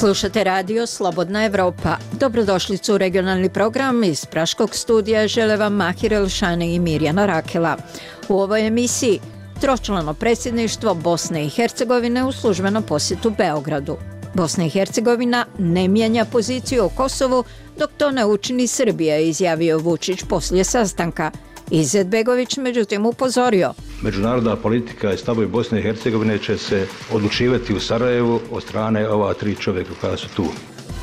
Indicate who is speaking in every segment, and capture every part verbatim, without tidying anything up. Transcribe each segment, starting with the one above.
Speaker 1: Slušate radio Slobodna Evropa. Dobrodošlicu u regionalni program iz Praškog studija žele vam Mahir Elšani i Mirjana Rakela. U ovoj emisiji tročlano predsjedništvo Bosne i Hercegovine u službenom posjetu Beogradu. Bosna i Hercegovina ne mijenja poziciju o Kosovu dok to ne učini Srbija, izjavio Vučić poslije sastanka. Izetbegović međutim upozorio.
Speaker 2: Međunarodna politika i stavovi Bosne i Hercegovine će se odlučivati u Sarajevu od strane ova tri čovjeka koja su tu.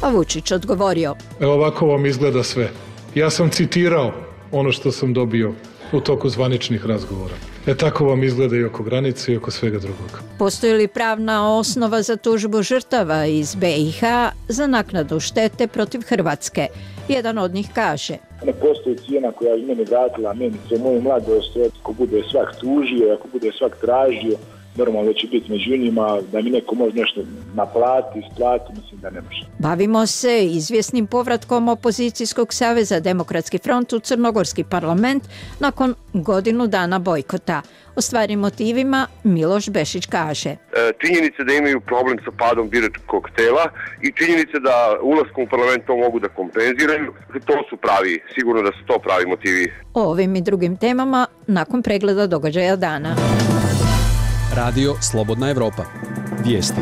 Speaker 1: A Vučić odgovorio.
Speaker 3: Evo ovako vam izgleda sve. Ja sam citirao ono što sam dobio u toku zvaničnih razgovora. E tako vam izgleda i oko granice i oko svega drugog.
Speaker 1: Postoji li pravna osnova za tužbu žrtava iz be i ha za naknadu štete protiv Hrvatske? Jedan od njih kaže.
Speaker 4: Ne postoji cijena koja je meni vratila menice moju mladost, ako bude svak tužio, ako bude svak tražio, normalno da će biti među njima, da mi neko može nešto naplati, isplati, mislim da ne može.
Speaker 1: Bavimo se izvjesnim povratkom opozicijskog saveza Demokratski front u Crnogorski parlament nakon godinu dana bojkota. O stvarnim motivima Miloš Bešić kaže.
Speaker 5: E, činjenice da imaju problem sa padom biračkog tela i činjenice da ulaskom u parlament to mogu da kompenziraju, to su pravi, sigurno da su to pravi motivi.
Speaker 1: O ovim i drugim temama nakon pregleda događaja dana.
Speaker 6: Radio Slobodna Evropa. Vijesti.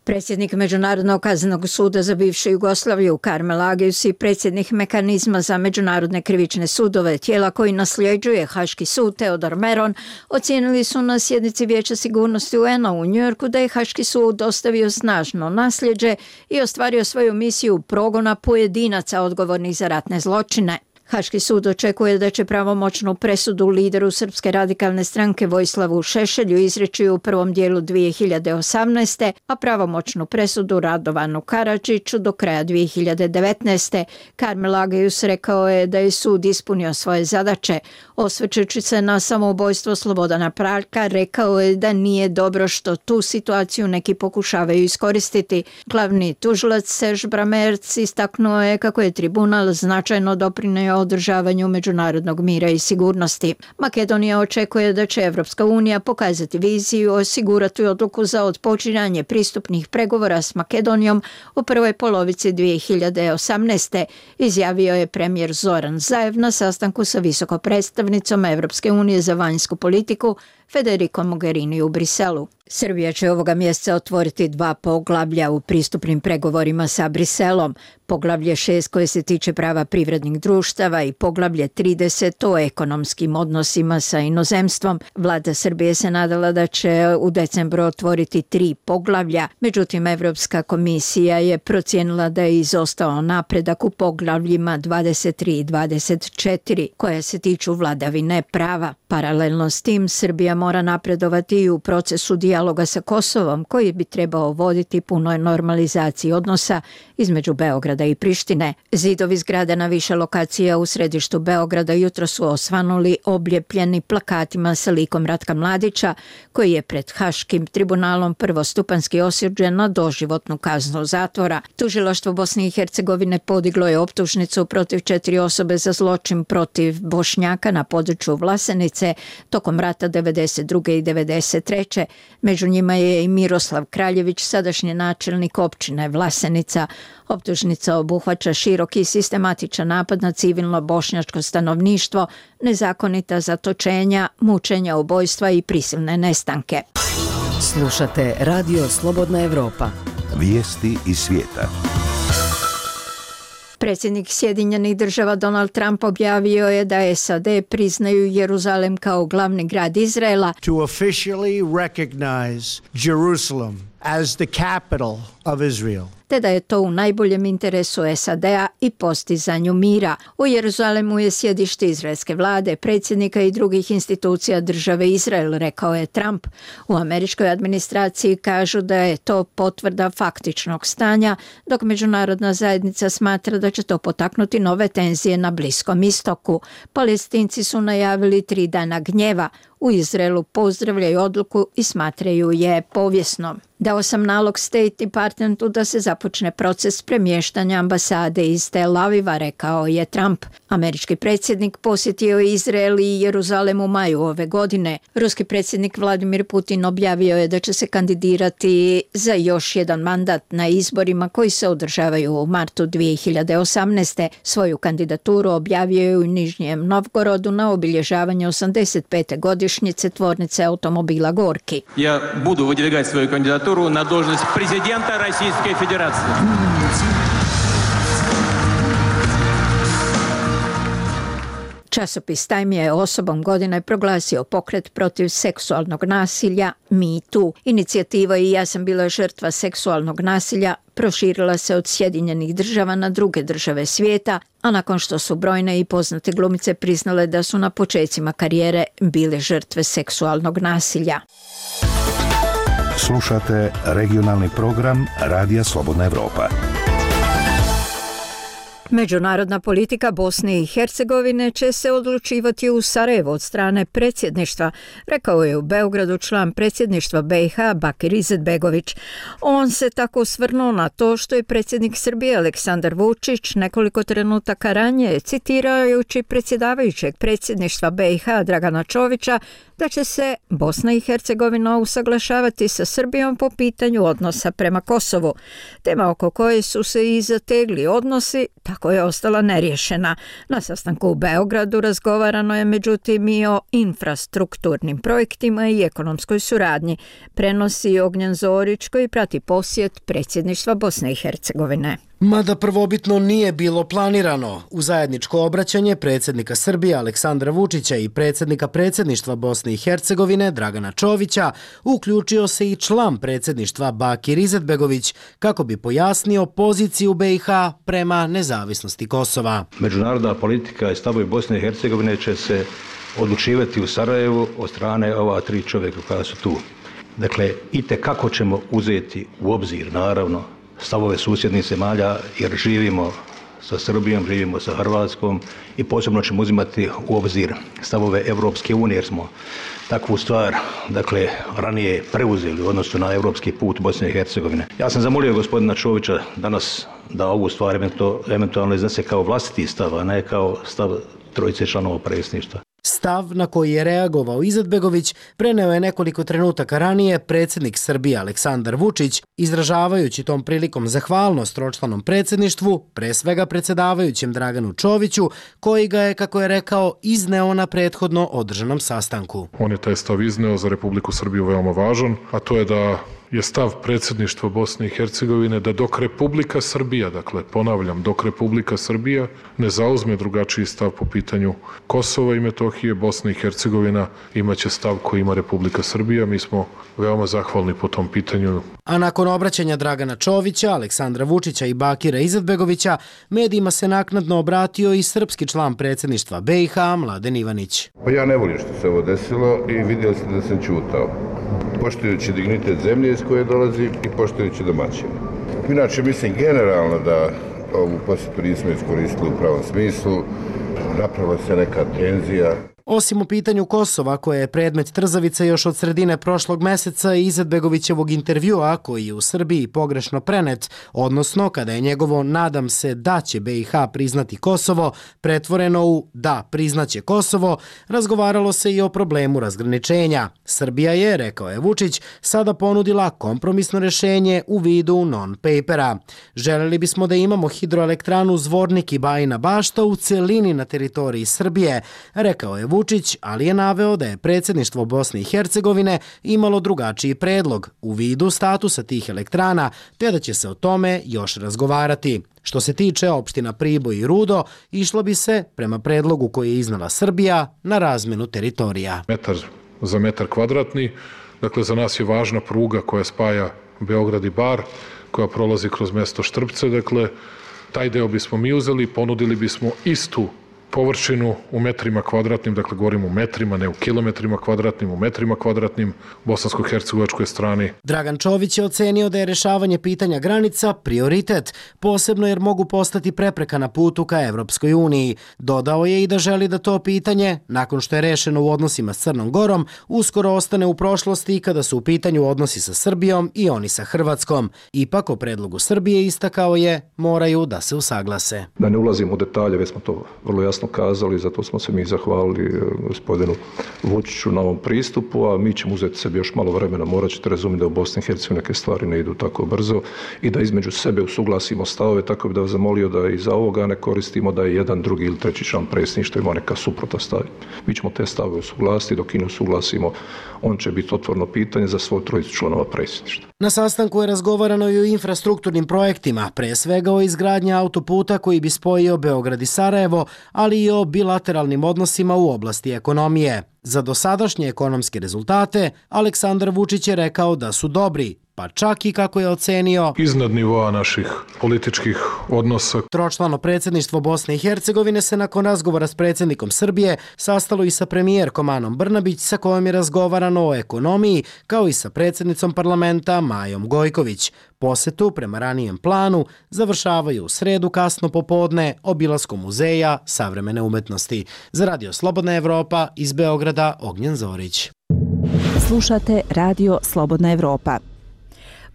Speaker 1: Predsjednik Međunarodnog kaznenog suda za bivšu Jugoslaviju Karmel Agius i predsjednik mehanizma za međunarodne krivične sudove, tijela koji nasljeđuje Haški sud Teodor Meron, ocijenili su na sjednici Vijeća sigurnosti u en a u Njujorku da je Haški sud ostavio snažno nasljeđe i ostvario svoju misiju progona pojedinaca odgovornih za ratne zločine. Haški sud očekuje da će pravomoćnu presudu lideru Srpske radikalne stranke Vojislavu Šešelju izreći u prvom dijelu dvije hiljade osamnaeste. a pravomoćnu presudu Radovanu Karadžiću do kraja dvije hiljade devetnaeste. Karmel Agius rekao je da je sud ispunio svoje zadaće. Osvrćući se na samoubojstvo Slobodana Praljka, rekao je da nije dobro što tu situaciju neki pokušavaju iskoristiti. Glavni tužilac Serž Bramerc istaknuo je kako je tribunal značajno doprinio održavanju međunarodnog mira i sigurnosti. Makedonija očekuje da će Evropska unija pokazati viziju, osigurati odluku za otpočinjanje pristupnih pregovora s Makedonijom u prvoj polovici dvije hiljade osamnaeste. izjavio je premijer Zoran Zaev na sastanku sa visoko predstavnicom Evropske unije za vanjsku politiku Federico Mogherini u Briselu. Srbija će ovoga mjeseca otvoriti dva poglavlja u pristupnim pregovorima sa Briselom. Poglavlje šest koje se tiče prava privrednih društava i poglavlje trideset o ekonomskim odnosima sa inozemstvom. Vlada Srbije se nadala da će u decembru otvoriti tri poglavlja, međutim Evropska komisija je procijenila da je izostao napredak u poglavljima dvadeset tri i dvadeset četiri koje se tiču vladavine prava. Paralelno s tim Srbija mora napredovati i u procesu dijaloga sa Kosovom koji bi trebao voditi punoj normalizaciji odnosa između Beograda i Prištine. Zidovi zgrada na više lokacija u središtu Beograda jutro su osvanuli oblijepljeni plakatima sa likom Ratka Mladića koji je pred Haškim tribunalom prvostupanski osuđen na doživotnu kaznu zatvora. Tužilaštvo Bosne i Hercegovine podiglo je optužnicu protiv četiri osobe za zločin protiv Bošnjaka na području Vlasenice tokom rata devedeset druge i devedeset treće Među njima je i Miroslav Kraljević, sadašnji načelnik općine Vlasenica. Optužnica obuhvaća široki i sistematičan napad na civilno bošnjačko stanovništvo, nezakonita zatočenja, mučenja, ubojstva i prisilne nestanke.
Speaker 7: Slušate Radio Slobodna Evropa.
Speaker 8: Vijesti iz svijeta.
Speaker 1: Predsjednik Sjedinjenih država Donald Trump objavio je da es a de priznaju Jeruzalem kao glavni grad Izraela.
Speaker 9: To officially recognize Jerusalem as the capital of Israel.
Speaker 1: Te da je to u najboljem interesu es a de a i postizanju mira. U Jeruzalemu je sjedište izraelske vlade, predsjednika i drugih institucija države Izrael, rekao je Trump. U američkoj administraciji kažu da je to potvrda faktičnog stanja, dok međunarodna zajednica smatra da će to potaknuti nove tenzije na Bliskom istoku. Palestinci su najavili tri dana gnjeva. u Izraelu pozdravljaju odluku i smatraju je povijesnom. Dao sam nalog State Departmentu da se započne proces premještanja ambasade iz Tel Aviva, rekao je Trump. Američki predsjednik posjetio je Izrael i Jeruzalem u maju ove godine. Ruski predsjednik Vladimir Putin objavio je da će se kandidirati za još jedan mandat na izborima koji se održavaju u martu dvije hiljade osamnaeste. Svoju kandidaturu objavio je u Nižnjem Novgorodu na obilježavanju osamdeset pete godišnjice tvornice automobila Gorki.
Speaker 10: Ja budu выдвигать svoju kandidaturu на должность президента Российской Федерации.
Speaker 1: Časopis Time je osobom godine proglasio pokret protiv seksualnog nasilja Me Too. Inicijativa I ja sam bila žrtva seksualnog nasilja proširila se od Sjedinjenih država na druge države svijeta, a nakon što su brojne i poznate glumice priznale da su na počecima karijere bile žrtve seksualnog nasilja.
Speaker 8: Slušate regionalni program Radija Slobodna Evropa.
Speaker 1: Međunarodna politika Bosne i Hercegovine će se odlučivati u Sarajevu od strane predsjedništva, rekao je u Beogradu član predsjedništva B i H Bakir Izetbegović. On se tako osvrnuo na to što je predsjednik Srbije Aleksandar Vučić nekoliko trenutaka ranije, citirajući predsjedavajućeg predsjedništva B i H Dragana Čovića, da će se Bosna i Hercegovina usaglašavati sa Srbijom po pitanju odnosa prema Kosovu. Tema oko koje su se i zategli odnosi tako je ostala neriješena. Na sastanku u Beogradu razgovarano je međutim i o infrastrukturnim projektima i ekonomskoj suradnji, prenosi Ognjen Zorić koji prati posjet predsjedništva Bosne i Hercegovine.
Speaker 11: Mada prvobitno nije bilo planirano, u zajedničko obraćanje predsjednika Srbije Aleksandra Vučića i predsjednika predsjedništva Bosne i Hercegovine Dragana Čovića uključio se i član predsjedništva Bakir Izetbegović kako bi pojasnio poziciju B i H prema nezavisnosti Kosova.
Speaker 2: Međunarodna politika i stavovi Bosne i Hercegovine će se odlučivati u Sarajevu od strane ova tri čovjeka koja su tu. Dakle, itekako ćemo uzeti u obzir, naravno, stavove susjednih zemalja jer živimo sa Srbijom, živimo sa Hrvatskom i posebno ćemo uzimati u obzir stavove Evropske unije jer smo takvu stvar, dakle, ranije preuzeli u odnosu na evropski put Bosne i Hercegovine. Ja sam zamolio gospodina Čovića danas da ovu stvar eventualno iznese kao vlastiti stav, a ne kao stav trojice članova predsjedništva.
Speaker 11: Stav na koji je reagovao Izetbegović preneo je nekoliko trenutaka ranije predsjednik Srbije Aleksandar Vučić, izražavajući tom prilikom zahvalnost tročlanom predsjedništvu, pre svega predsjedavajućem Draganu Čoviću, koji ga je, kako je rekao, izneo na prethodno održanom sastanku.
Speaker 3: On je taj stav izneo za Republiku Srbiju veoma važan, a to je da je stav predsjedništva Bosne i Hercegovine da dok Republika Srbija, dakle ponavljam, dok Republika Srbija ne zauzme drugačiji stav po pitanju Kosova i Metohije, Bosna i Hercegovina imaće stav koji ima Republika Srbija. Mi smo veoma zahvalni po tom pitanju.
Speaker 11: A nakon obraćanja Dragana Čovića, Aleksandra Vučića i Bakira Izetbegovića, medijima se naknadno obratio i srpski član predsjedništva B i H Mladen Ivanić.
Speaker 12: Pa ja ne volim što se ovo desilo i vidio sam da sam ćutao. Poštujući dignitet zemlje iz koje dolazi i poštujući domaćine. Inače, mislim generalno da ovu posjetu nismo iskoristili u pravom smislu, napravila se neka tenzija.
Speaker 11: Osim u pitanju Kosova, koje je predmet trzavice još od sredine prošlog meseca i Izetbegovićevog intervjua, koji je u Srbiji pogrešno prenet, odnosno kada je njegovo nadam se da će B i H priznati Kosovo, pretvoreno u da priznaće Kosovo, razgovaralo se i o problemu razgraničenja. Srbija je, rekao je Vučić, sada ponudila kompromisno rješenje u vidu non-papera. Želeli bismo da imamo hidroelektranu Zvornik i Bajina Bašta u celini na teritoriji Srbije, rekao je Vučić. Vučić, ali je naveo da je predsjedništvo Bosne i Hercegovine imalo drugačiji predlog u vidu statusa tih elektrana, te da će se o tome još razgovarati. Što se tiče opština Priboj i Rudo, išlo bi se, prema predlogu koji je iznala Srbija, na razmenu teritorija.
Speaker 3: Metar za metar kvadratni, dakle za nas je važna pruga koja spaja Beograd i Bar, koja prolazi kroz mesto Štrpce, dakle taj deo bismo mi uzeli, ponudili bismo istu površinu u metrima kvadratnim, dakle govorimo u metrima, ne u kilometrima kvadratnim, u metrima kvadratnim bosansko-hercegovačkoj strani.
Speaker 11: Dragan Čović je ocenio da je rešavanje pitanja granica prioritet, posebno jer mogu postati prepreka na putu ka Evropskoj uniji. Dodao je i da želi da to pitanje, nakon što je rešeno u odnosima s Crnom Gorom, uskoro ostane u prošlosti kada su u pitanju odnosi sa Srbijom i oni sa Hrvatskom. Ipak o predlogu Srbije istakao je, moraju da se usaglase.
Speaker 13: Da ne ulazimo u detalje, već smo to vrlo jasno kazali, zato smo se mi zahvalili gospodinu Vučiću na ovom pristupu, a mi ćemo uzeti sebi još malo vremena, morat ćete razumjeti da u Bosni i Hercegovini neke stvari ne idu tako brzo i da između sebe usuglasimo stavove, tako bi da vas zamolio da i za ovoga ne koristimo da je jedan, drugi ili treći član predsjedništva ima neka suprota stavi. Mi ćemo te stavove usuglasiti, dok i ne usuglasimo, on će biti otvoreno pitanje za svoj trojicu članova predsjedništva.
Speaker 11: Na sastanku je razgovarano i o infrastrukturnim projektima, pre svega o izgradnji autoputa koji bi spojio Beograd i Sarajevo, ali i o bilateralnim odnosima u oblasti ekonomije. Za dosadašnje ekonomske rezultate Aleksandar Vučić je rekao da su dobri, pa čak i kako je ocenio
Speaker 3: iznad nivoa naših političkih odnosa.
Speaker 11: Tročlano predsjedništvo Bosne i Hercegovine se nakon razgovora s predsjednikom Srbije sastalo i sa premijerkom Anom Brnabić, sa kojom je razgovarano o ekonomiji, kao i sa predsjednicom parlamenta Majom Gojković. Posetu, prema ranijem planu, završavaju u sredu kasno popodne obilaskom muzeja savremene umetnosti. Za Radio Slobodna Evropa iz Beograda, Ognjen Zorić.
Speaker 14: Slušate Radio Slobodna Evropa.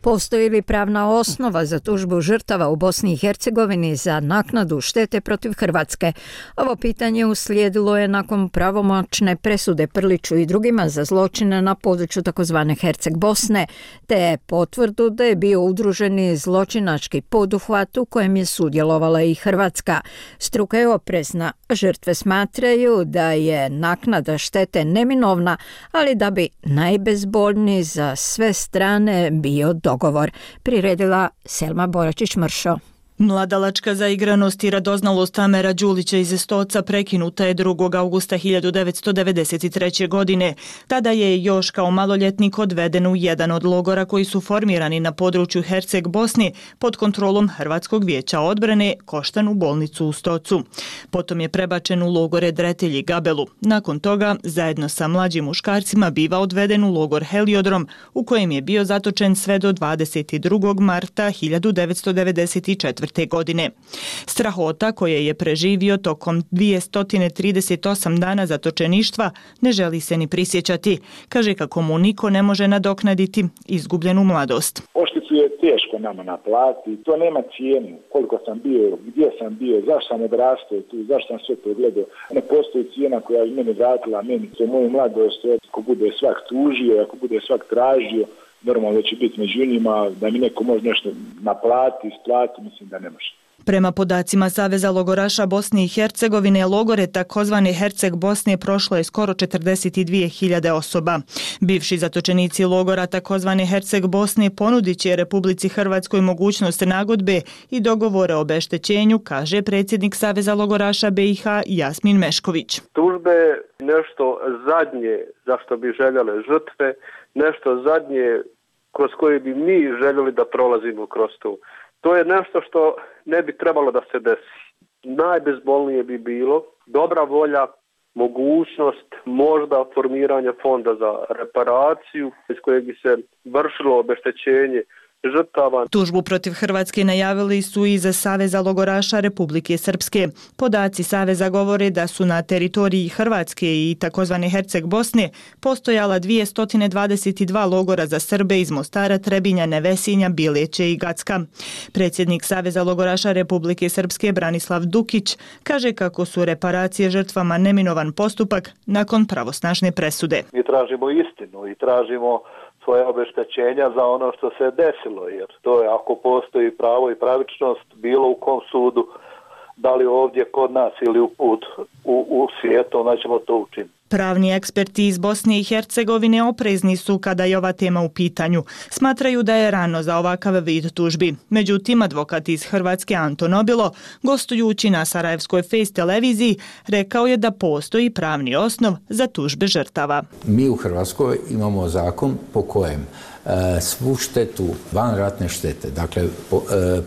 Speaker 1: Postoji li pravna osnova za tužbu žrtava u Bosni i Hercegovini za naknadu štete protiv Hrvatske? Ovo pitanje uslijedilo je nakon pravomoćne presude Prliću i drugima za zločine na području takozvane Herceg Bosne, te potvrdu da je bio udruženi zločinački poduhvat u kojem je sudjelovala i Hrvatska. Struka je oprezna. Žrtve smatraju da je naknada štete neminovna, ali da bi najbezbolniji za sve strane bio dogovor, priredila Selma Boračić-Mršo.
Speaker 15: Mladalačka zaigranost i radoznalost Amera Đulića iz Stoca prekinuta je drugog augusta hiljadu devetsto devedeset treće. godine. Tada je još kao maloljetnik odveden u jedan od logora koji su formirani na području Herceg Bosne pod kontrolom Hrvatskog vijeća odbrane, Koštanu bolnicu u Stocu. Potom je prebačen u logore Dretelj i Gabelu. Nakon toga, zajedno sa mlađim muškarcima, biva odveden u logor Heliodrom, u kojem je bio zatočen sve do dvadeset drugog marta hiljadu devetsto devedeset četvrte. godine. Strahota koje je preživio tokom dvjesto trideset osam dana zatočeništva ne želi se ni prisjećati. Kaže kako mu niko ne može nadoknaditi izgubljenu mladost.
Speaker 4: Ošticu je teško nama naplatiti, to nema cijenu. Koliko sam bio, gdje sam bio, zašto sam odrastao tu, zašto sam sve to gledao. Ne postoji cijena koja je meni vratila, meni se moju mladost, ako bude svak tužio, ako bude svak tražio, normalno da će biti među njima, da mi neko može nešto naplati, isplati, mislim da ne može.
Speaker 15: Prema podacima Saveza logoraša Bosne i Hercegovine, logore takozvane Herceg Bosne prošlo je skoro četrdeset dvije hiljade osoba. Bivši zatočenici logora takozvane Herceg Bosne ponudit će Republici Hrvatskoj mogućnost nagodbe i dogovore o obeštećenju, kaže predsjednik Saveza logoraša B i H Jasmin Mešković.
Speaker 16: Tužbe nešto zadnje za što bi željele žrtve, nešto zadnje kroz koje bi mi željeli da prolazimo kroz to. To je nešto što ne bi trebalo da se desi. Najbezbolnije bi bilo dobra volja, mogućnost možda formiranja fonda za reparaciju iz kojeg bi se vršilo obeštećenje žrtava.
Speaker 15: Tužbu protiv Hrvatske najavili su i za Saveza logoraša Republike Srpske. Podaci Saveza govore da su na teritoriji Hrvatske i takozvane Herceg Bosne postojala dvjesto dvadeset dva logora za Srbe iz Mostara, Trebinja, Nevesinja, Bileće i Gacka. Predsjednik Saveza logoraša Republike Srpske Branislav Dukić kaže kako su reparacije žrtvama neminovan postupak nakon pravosnažne presude.
Speaker 17: Mi tražimo istinu i tražimo svoje obeštećenja za ono što se desilo, jer to je ako postoji pravo i pravičnost bilo u kom sudu, da li ovdje kod nas ili u put u, u svijetu, onda ćemo to učiniti.
Speaker 15: Pravni eksperti iz Bosne i Hercegovine oprezni su kada je ova tema u pitanju. Smatraju da je rano za ovakav vid tužbi. Međutim, advokat iz Hrvatske Anton Obilo, gostujući na Sarajevskoj Face televiziji, rekao je da postoji pravni osnov za tužbe žrtava.
Speaker 18: Mi u Hrvatskoj imamo zakon po kojem svu štetu, vanratne štete, dakle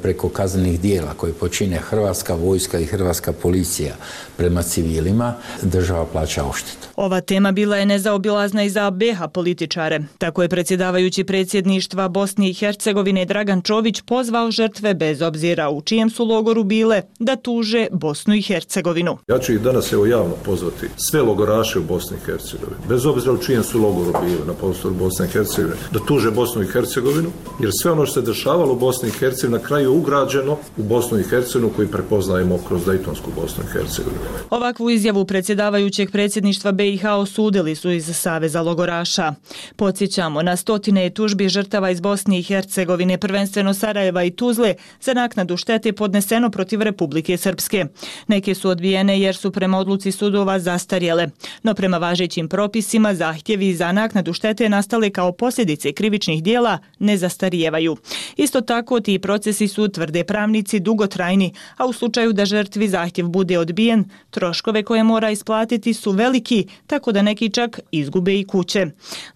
Speaker 18: preko kaznenih dijela koje počine Hrvatska vojska i Hrvatska policija prema civilima, država plaća odštetu.
Speaker 15: Ova tema bila je nezaobilazna i za B iH političare. Tako je predsjedavajući predsjedništva Bosne i Hercegovine Dragan Čović pozvao žrtve, bez obzira u čijem su logoru bile, da tuže Bosnu i Hercegovinu.
Speaker 19: Ja ću ih danas evo javno pozvati sve logoraše u Bosni i Hercegovini, bez obzira u čijem su logoru bili na prostoru Bosne i Hercegovine, da tuže Bosnu i Hercegovinu, jer sve ono što se dešavalo u Bosni i Hercegovini na kraju je ugrađeno u Bosnu i Hercegovinu koju prepoznajemo kroz Dejtonsku Bosnu i Hercegovinu.
Speaker 15: Ovakvu izjavu predsjedavajućeg predsjedništva B iH osudili su iz Saveza logoraša. Podsjećamo na stotine tužbi žrtava iz Bosne i Hercegovine, prvenstveno Sarajeva i Tuzle, za naknadu štete podneseno protiv Republike Srpske. Neke su odbijene jer su prema odluci sudova zastarjele, no prema važećim propisima zahtjevi za naknadu štete nastale kao posljedice krivičnih dijela ne zastarijevaju. Isto tako ti procesi su, tvrde pravnici, dugotrajni, a u slučaju da žrtvi zahtjev bude odbijen, troškove koje mora isplatiti su veliki, tako da neki čak izgube i kuće.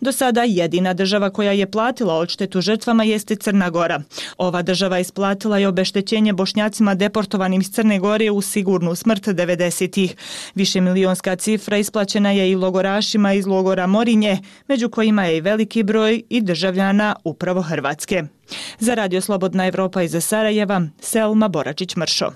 Speaker 15: Do sada jedina država koja je platila odštetu žrtvama jeste Crna Gora. Ova država isplatila je obeštećenje Bošnjacima deportovanim iz Crne Gore u sigurnu smrt devedesetih. Višemilionska cifra isplaćena je i logorašima iz logora Morinje, među kojima je i veliki broj i državljana upravo Hrvatske. Za Radio Slobodna Evropa iz Sarajeva, Selma Boračić-Mršo.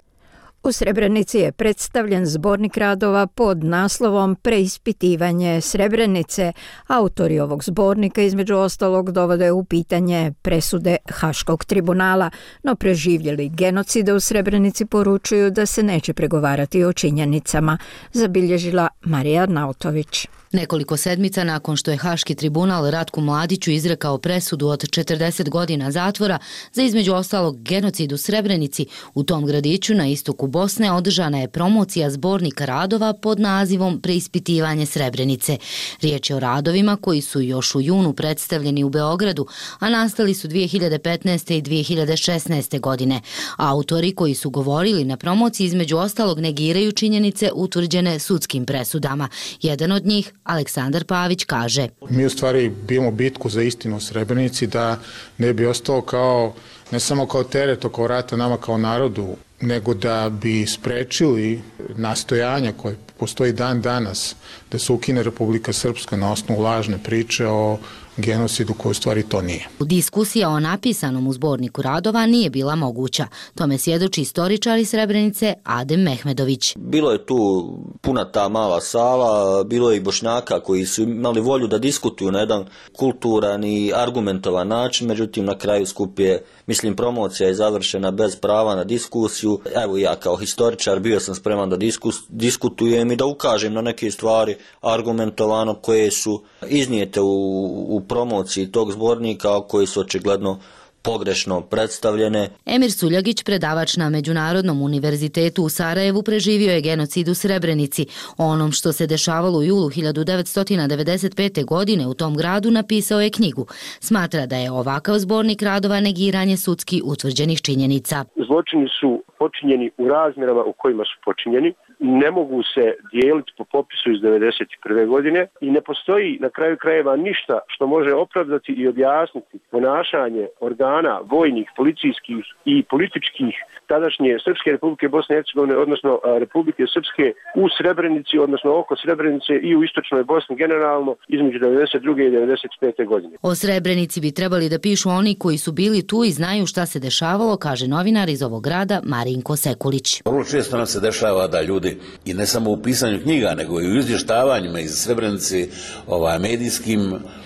Speaker 1: U Srebrenici je predstavljen zbornik radova pod naslovom Preispitivanje Srebrenice. Autori ovog zbornika između ostalog dovode u pitanje presude Haškog tribunala, no preživjeli genocida u Srebrenici poručuju da se neće pregovarati o činjenicama, zabilježila Marija Arnautović.
Speaker 20: Nekoliko sedmica nakon što je Haški tribunal Ratku Mladiću izrekao presudu od četrdeset godina zatvora za između ostalog genocid u Srebrenici, u tom gradiću na istoku Bosne održana je promocija zbornika radova pod nazivom Preispitivanje Srebrenice. Riječ je o radovima koji su još u junu predstavljeni u Beogradu, a nastali su dvije hiljade petnaeste i dvije hiljade šesnaeste godine. Autori koji su govorili na promociji između ostalog negiraju činjenice utvrđene sudskim presudama. Jedan od njih, Aleksandar Pavić, kaže:
Speaker 21: Mi u stvari bijemo bitku za istinu u Srebrenici, da ne bi ostao kao, ne samo kao teret oko rata nama kao narodu, nego da bi sprečili nastojanja koje postoji dan danas da se ukine Republika Srpska na osnovu lažne priče o genocidu koji u stvari to nije.
Speaker 20: Diskusija o napisanom u zborniku radova nije bila moguća. Tome svjedoči istoričar iz Srebrenice Adem Mehmedović.
Speaker 22: Bilo je tu puna ta mala sala, bilo je i Bošnjaka koji su imali volju da diskutuju na jedan kulturan i argumentovan način, međutim na kraju skup je, mislim, promocija je završena bez prava na diskusiju. Evo ja kao historičar bio sam spreman da diskus, diskutujem i da ukažem na neke stvari argumentovano koje su iznijete u, u promociji tog zbornika, koji su očigledno pogrešno predstavljene.
Speaker 20: Emir Suljagić, predavač na Međunarodnom univerzitetu u Sarajevu, preživio je genocid u Srebrenici. O onom što se dešavalo u julu hiljadu devetsto devedeset pete. godine u tom gradu napisao je knjigu. Smatra da je ovakav zbornik radova negiranje sudski utvrđenih činjenica.
Speaker 23: Zločini su počinjeni u razmjerama u kojima su počinjeni. Ne mogu se dijeliti po popisu iz devedeset prve. godine i ne postoji na kraju krajeva ništa što može opravdati i objasniti ponašanje organa vojnih, policijskih i političkih tadašnje Srpske Republike Bosne i Hercegovine, odnosno Republike Srpske u Srebrenici, odnosno oko Srebrenice i u istočnoj Bosni generalno između devedeset druge i devedeset pete. godine.
Speaker 20: O Srebrenici bi trebali da pišu oni koji su bili tu i znaju šta se dešavalo, kaže novinar iz ovog grada Marinko Sekulić.
Speaker 24: Vrlo često nam se dešava da ljudi, i ne samo u pisanju knjiga, nego i u izvještavanjima iz Srebrenice, ovaj, medijskim,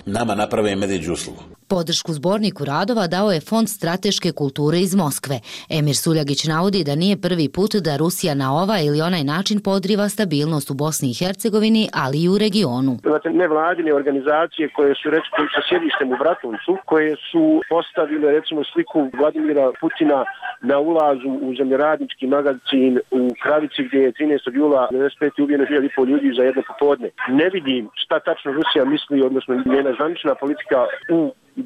Speaker 24: nama naprave medvjeđu uslugu.
Speaker 20: Podršku zborniku radova dao je Fond strateške kulture iz Moskve. Emir Suljagić navodi da nije prvi put da Rusija na ovaj ili onaj način podriva stabilnost u Bosni i Hercegovini, ali i u regionu.
Speaker 23: Imate nevladine organizacije koje su recimo sa sjedištem u Bratuncu, koje su postavile recimo sliku Vladimira Putina na ulazu u zemljoradnički magazin u Kravici, gdje je trinaestog jula devedeset pete. ubijeno hiljadu i pol ljudi za jedno popodne. Ne vidim šta tačno Rusija misli, odnosno njena zvanična politika u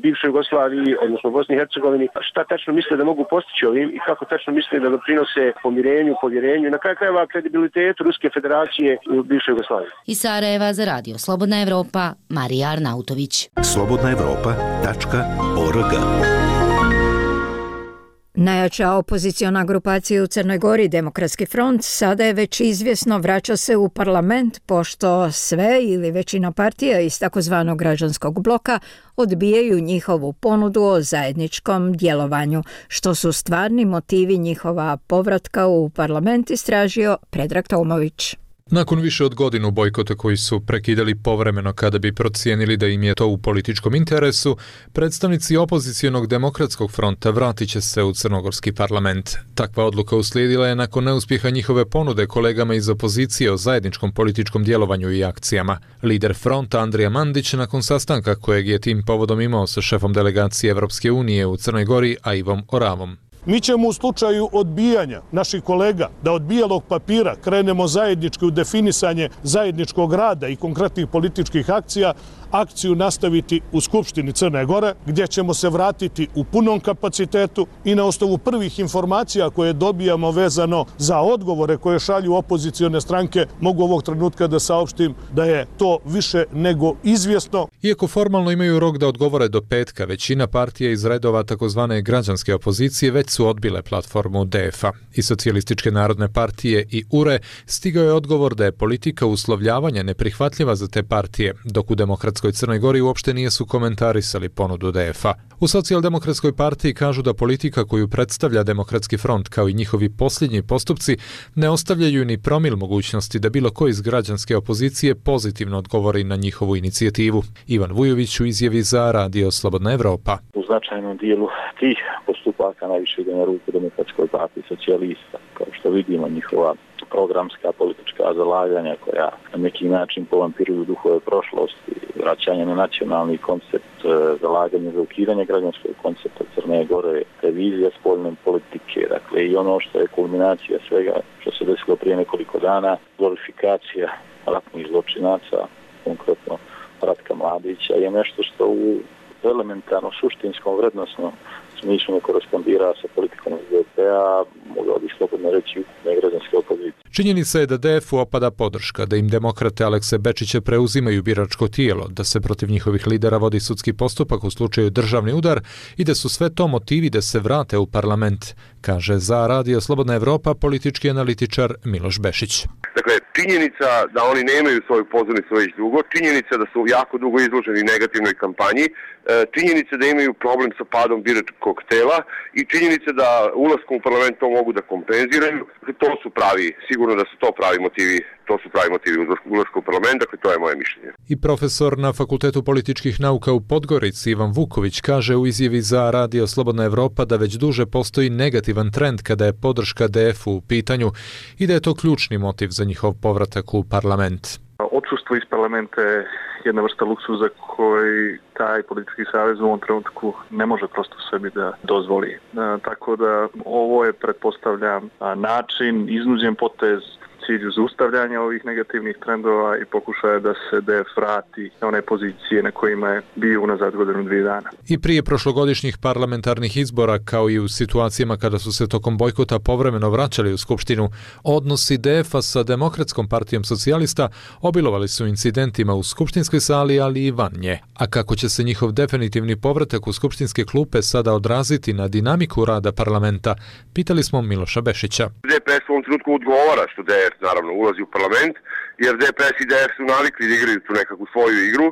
Speaker 23: bivšoj Jugoslaviji, odnosno Bosni i Hercegovini, šta tačno misle da mogu postići ovim i kako tačno misle da doprinose pomirenju, povjerenju i na kraju krajeva kredibilitetu Ruske federacije u bivšoj Jugoslaviji.
Speaker 20: Iz Sarajeva za radio Slobodna Evropa, Marija Arnautović.
Speaker 8: slobodna evropa tačka org.
Speaker 1: Najjača opoziciona grupacija u Crnoj Gori, Demokratski front, sada je već izvjesno vraća se u parlament, pošto sve ili većina partija iz takozvanog građanskog bloka odbijaju njihovu ponudu o zajedničkom djelovanju, što su stvarni motivi njihova povratka u parlament, istražio Predrag Tomović.
Speaker 5: Nakon više od godinu bojkota koji su prekidali povremeno kada bi procijenili da im je to u političkom interesu, predstavnici opozicijonog Demokratskog fronta vratit će se u crnogorski parlament. Takva odluka uslijedila je nakon neuspjeha njihove ponude kolegama iz opozicije o zajedničkom političkom djelovanju i akcijama. Lider fronta Andrija Mandić nakon sastanka kojeg je tim povodom imao sa šefom delegacije Evropske unije u Crnoj Gori, Aivom Oravom.
Speaker 6: Mi ćemo u slučaju odbijanja naših kolega da od bijelog papira krenemo zajednički u definisanje zajedničkog rada i konkretnih političkih akcija, akciju nastaviti u Skupštini Crne Gore, gdje ćemo se vratiti u punom kapacitetu i na osnovu prvih informacija koje dobijamo vezano za odgovore koje šalju opozicione stranke, mogu ovog trenutka da saopštim da je to više nego izvjesno.
Speaker 5: Iako formalno imaju rok da odgovore do petka, većina partija iz redova takozvane građanske opozicije već su odbile platformu D F A. I Socijalističke narodne partije i U R E stigao je odgovor da je politika uslovljavanja neprihvatljiva za te partije, dok u Demokratskoj Crnoj Gori uopšte nisu komentarisali ponudu D F A. U Socijaldemokratskoj partiji kažu da politika koju predstavlja Demokratski front kao i njihovi posljednji postupci ne ostavljaju ni promil mogućnosti da bilo ko iz građanske opozicije pozitivno odgovori na njihovu inicijativu. Ivan Vujović u izjavi za radio Slobodna Evropa.
Speaker 7: U značajnom dijelu tih postupaka najviše ide na ruku Demokratskoj partiji socijalista. Kao što vidimo, njihova programska politička zalaganja koja na neki način povampiruju duhove prošlosti, vraćanje na nacionalni koncept, zalaganje za ukidanje građanskog koncepta Crne Gore, revizija spoljne politike, dakle i ono što je kulminacija svega što se desilo prije nekoliko dana, glorifikacija ratnih zločinaca, konkretno Ratka Mladića, je nešto što u elementarno suštinskom vrednosnom smislu ne korespondira sa politikom S D P-a, mogao bi slobodno reći ukupne građanske opozicije.
Speaker 5: Činjenica je da D F U opada podrška, da im demokrate Alekse Bečića preuzimaju biračko tijelo, da se protiv njihovih lidera vodi sudski postupak u slučaju državni udar i da su sve to motivi da se vrate u parlament, kaže za radio Slobodna Evropa politički analitičar Miloš Bešić.
Speaker 9: Dakle, činjenica da oni nemaju svoju pozornicu već dugo, činjenica da su jako dugo izloženi negativnoj kampanji, činjenica da imaju problem sa padom biračkog tela i činjenica da ulaskom u parlament to mogu da kompenziraju. To su pravi, sigurno da su to pravi motivi, to su pravi motivi ulaska u parlament, dakle to je moje mišljenje.
Speaker 5: I profesor na Fakultetu političkih nauka u Podgorici Ivan Vuković kaže u izjavi za radio Slobodna Evropa da već duže postoji negativan trend kada je podrška D F U u pitanju i da je to ključni motiv za njihov povratak u parlament.
Speaker 25: Odsustvo iz parlamenta je jedna vrsta luksuza koji taj politički savez u ovom trenutku ne može prosto sebi da dozvoli. E, tako da ovo je, pretpostavljam, način, iznuđen potez cilju zaustavljanja ovih negativnih trendova i pokušaja da se D F vrati na one pozicije na kojima je bio unazad godinu dvije dana.
Speaker 5: I prije prošlogodišnjih parlamentarnih izbora, kao i u situacijama kada su se tokom bojkota povremeno vraćali u Skupštinu, odnosi D F A sa Demokratskom partijom socijalista obilovali su incidentima u skupštinskoj sali, ali i van nje. A kako će se njihov definitivni povratak u skupštinske klupe sada odraziti na dinamiku rada parlamenta, pitali smo Miloša Bešića.
Speaker 9: D P S u ovom trenutku odgovara što D F naravno ulazi u parlament, jer D P S i D F su navikli da igraju tu nekakvu svoju igru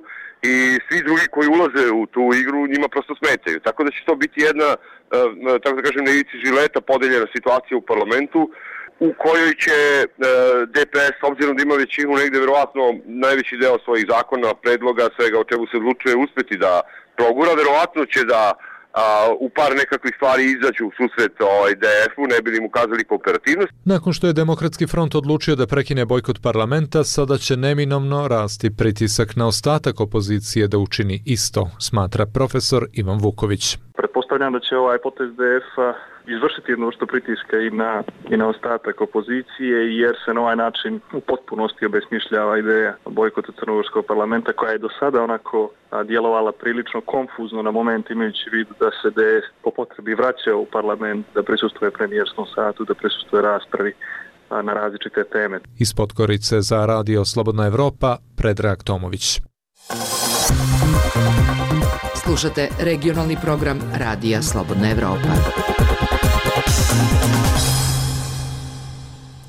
Speaker 9: i svi drugi koji ulaze u tu igru njima prosto smetaju. Tako da će to biti jedna, tako da kažem, na ivici žileta podeljena situacija u parlamentu u kojoj će D P S, s obzirom da ima većinu negde verovatno najveći deo svojih zakona, predloga, svega o čemu se odlučuje, uspeti da progura. Verovatno će da A, u par nekakvih stvari izađu u susret ovaj, D F-u, ne bi li mu kazali kooperativnost.
Speaker 5: Nakon što je Demokratski front odlučio da prekine bojkot parlamenta, sada će neminovno rasti pritisak na ostatak opozicije da učini isto, smatra profesor Ivan Vuković.
Speaker 25: Pretpostavljam da će ovaj potez D F-a izvršiti jednu vrstu pritiska i na, i na ostatak opozicije, jer se na ovaj način u potpunosti obesmišljava ideja bojkota crnogorskog parlamenta, koja je do sada onako djelovala prilično konfuzno na moment, imajući vidu da se D S po potrebi vraća u parlament, da prisustuje premijerskom satu, da prisustuje raspravi na različite teme.
Speaker 5: Iz Podgorice za Radio Slobodna Evropa, Predrag Tomović.
Speaker 2: Slušate regionalni program Radija Slobodna Evropa.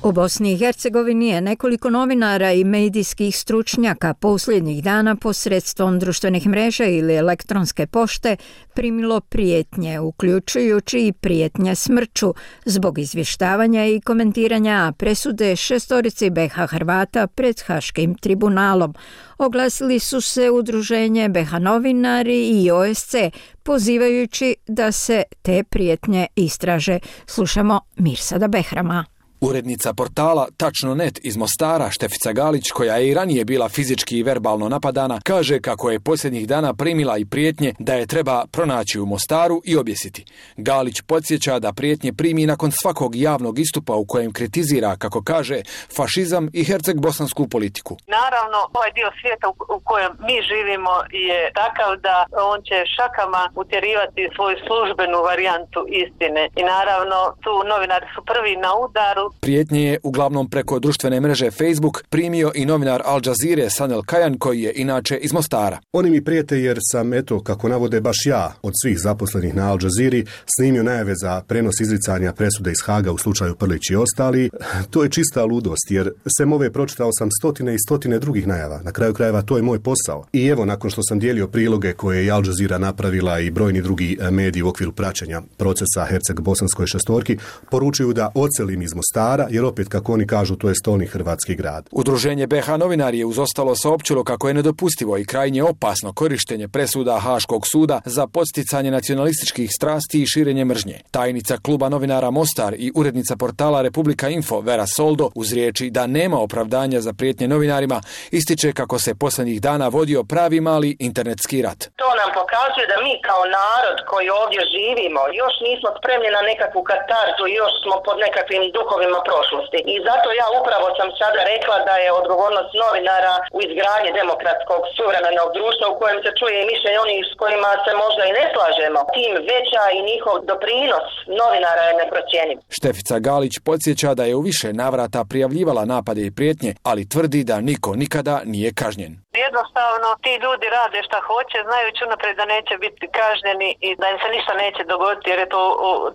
Speaker 1: U Bosni i Hercegovini je nekoliko novinara i medijskih stručnjaka posljednjih dana posredstvom društvenih mreža ili elektronske pošte primilo prijetnje, uključujući i prijetnje smrću zbog izvještavanja i komentiranja presude šestorici B iH Hrvata pred Haškim tribunalom. Oglasili su se udruženje B iH novinari i O S C, pozivajući da se te prijetnje istraže. Slušamo Mirsada Behrama.
Speaker 3: Urednica portala Tačno точно net iz Mostara, Štefica Galić, koja je i ranije bila fizički i verbalno napadana, kaže kako je posljednjih dana primila i prijetnje da je treba pronaći u Mostaru i objesiti. Galić podsjeća da prijetnje primi nakon svakog javnog istupa u kojem kritizira, kako kaže, fašizam i herceg-bosansku politiku.
Speaker 10: Naravno, ovaj dio svijeta u kojem mi živimo je takav da on će šakama utjerivati svoju službenu varijantu istine. I naravno, tu novinari su prvi na udaru.
Speaker 3: Prijetnje je uglavnom preko društvene mreže Facebook primio i novinar Al Jazeere Sanel Kajan, koji je inače iz Mostara.
Speaker 12: Oni mi prijete jer sam, eto, kako navode baš ja, od svih zaposlenih na Al Jazeeri, snimio najave za prenos izricanja presude iz Haga u slučaju Prlić i ostali. To je čista ludost, jer sem ove pročitao sam stotine i stotine drugih najava. Na kraju krajeva to je moj posao. I evo, nakon što sam dijelio priloge koje je Al Jazeera napravila i brojni drugi mediji u okviru praćenja procesa Herceg-bosanskoj šestorki, poručuju da ocelim iz Mostara, jer opet, kako oni kažu, to je stolni hrvatski grad.
Speaker 3: Udruženje B iH novinari je uz ostalo saopćilo kako je nedopustivo i krajnje opasno korištenje presuda Haškog suda za podsticanje nacionalističkih strasti i širenje mržnje. Tajnica kluba novinara Mostar i urednica portala Republika Info Vera Soldo, uz riječi da nema opravdanja za prijetnje novinarima, ističe kako se posljednjih dana vodio pravi mali internetski rat.
Speaker 10: To nam pokazuje da mi kao narod koji ovdje živimo još nismo spremni na nekakvu katarzu, još smo pod nekakvim duhovima prošlosti. I zato ja upravo sam sada rekla da je odgovornost novinara u izgradnji demokratskog suvremenog društva u kojem se čuje i mišljenje onih s kojima se možda i ne slažemo. Tim veća i njihov doprinos novinara je neprocjenjiv.
Speaker 3: Štefica Galić podsjeća da je u više navrata prijavljivala napade i prijetnje, ali tvrdi da niko nikada nije kažnjen.
Speaker 10: Jednostavno, ti ljudi rade šta hoće, znajući unaprijed da neće biti kažnjeni i da im se ništa neće dogoditi, jer je to,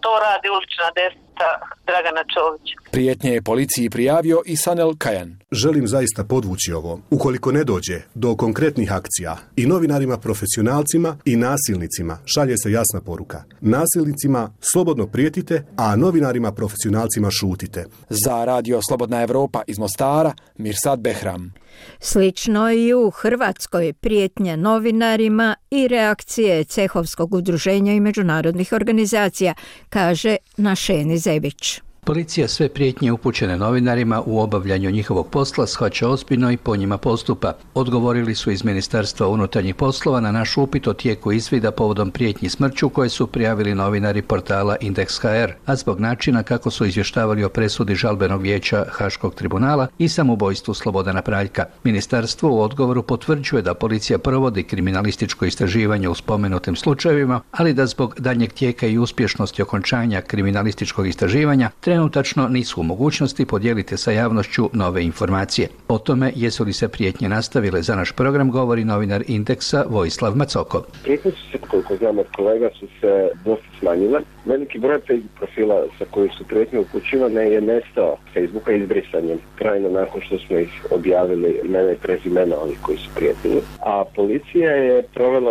Speaker 10: to radi ulična desnica Dragana Čovića.
Speaker 3: Prijetnje je policiji prijavio i Sanel Kajan.
Speaker 12: Želim zaista podvući ovo. Ukoliko ne dođe do konkretnih akcija, i novinarima profesionalcima i nasilnicima šalje se jasna poruka. Nasilnicima slobodno prijetite, a novinarima profesionalcima šutite.
Speaker 3: Za Radio Slobodna Evropa iz Mostara, Mirsad Behram.
Speaker 1: Slično i u Hrvatskoj prijetnje novinarima i reakcije Cehovskog udruženja i međunarodnih organizacija, kaže Našeni Zebić.
Speaker 13: Policija sve prijetnje upućene novinarima u obavljanju njihovog posla shvaća ozbiljno i po njima postupa. Odgovorili su iz Ministarstva unutarnjih poslova na naš upit o tijeku izvida povodom prijetnji smrću koje su prijavili novinari portala Indeks H R, a zbog načina kako su izvještavali o presudi žalbenog vijeća Haškog tribunala i samoubojstvu Slobodana Praljka. Ministarstvo u odgovoru potvrđuje da policija provodi kriminalističko istraživanje u spomenutim slučajevima, ali da zbog daljnjeg tijeka i uspješnosti okončanja kriminalističkog istraživanja trenutačno nisu u mogućnosti podijeliti sa javnošću nove informacije. O tome jesu li se prijetnje nastavile za naš program govori novinar Indeksa Vojislav Macoko.
Speaker 26: Prijetnje su se, koliko znam od kolega, su se dosta smanjile. Veliki broj Facebook profila sa kojih su prijetnje upućivane je nestao Facebooka izbrisanjem trajno nakon što smo ih objavili imena i prezimena ovih koji su prijetili. A policija je provela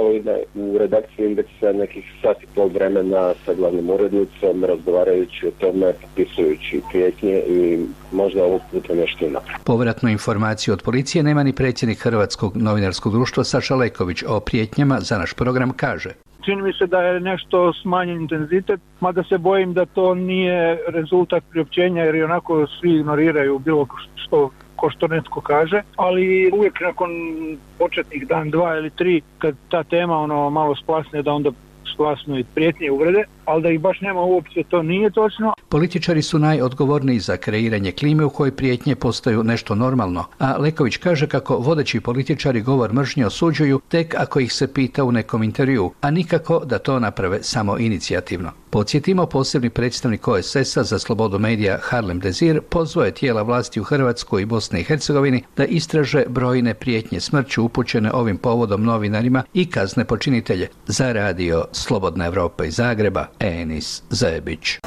Speaker 26: u redakciji Indeksa nekih sat i pol vremena sa glavnom urednicom, razgovarajući o tome, popisujući prijetnje i možda ovog puta nešto napraviti.
Speaker 13: Povratnu informaciju od policije nema ni predsjednik Hrvatskog novinarskog društva Saša Leković. O prijetnjama za naš program kaže:
Speaker 27: čini mi se da je nešto smanjen intenzitet, mada se bojim da to nije rezultat priopćenja, jer i onako svi ignoriraju bilo što ko što netko kaže, ali uvijek nakon početnih dan, dva ili tri, kad ta tema ono malo splasne, da onda glasno i prijetnje i uvrede, ali da ih baš nema uopće, to nije točno.
Speaker 13: Političari su najodgovorniji za kreiranje klime u kojoj prijetnje postaju nešto normalno, a Leković kaže kako vodeći političari govor mržnje osuđuju tek ako ih se pita u nekom intervjuu, a nikako da to naprave samo inicijativno. Podsjetimo, posebni predstavnik O S S-a za slobodu medija Harlem Dezir pozvao je tijela vlasti u Hrvatskoj i Bosni i Hercegovini da istraže brojne prijetnje smrću upućene ovim povodom novinarima i kazne počinitelje. Za radio Slobodna Evropa iz Zagreba, Enis Zajebić.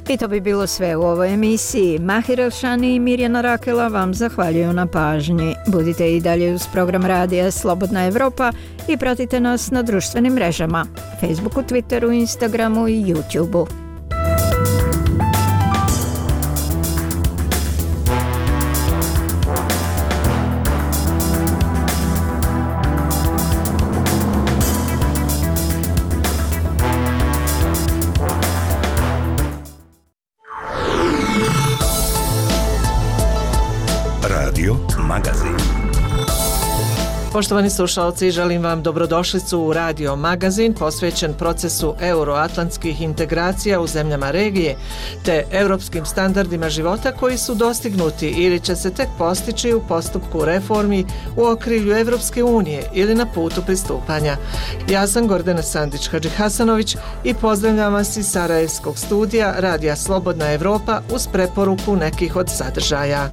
Speaker 1: I to bi bilo sve u ovoj emisiji. Mahir Elšani i Mirjana Rakela vam zahvaljuju na pažnji. Budite i dalje uz program radija Slobodna Evropa i pratite nas na društvenim mrežama, Facebooku, Twitteru, Instagramu i YouTubeu.
Speaker 4: Poštovani slušalci, želim vam dobrodošlicu u Radio Magazin posvećen procesu euroatlantskih integracija u zemljama regije te europskim standardima života koji su dostignuti ili će se tek postići u postupku reformi u okrilju Evropske unije ili na putu pristupanja. Ja sam Gordana Sandić-Hadžihasanović i pozdravljam vas iz Sarajevskog studija Radija Slobodna Evropa uz preporuku nekih od sadržaja.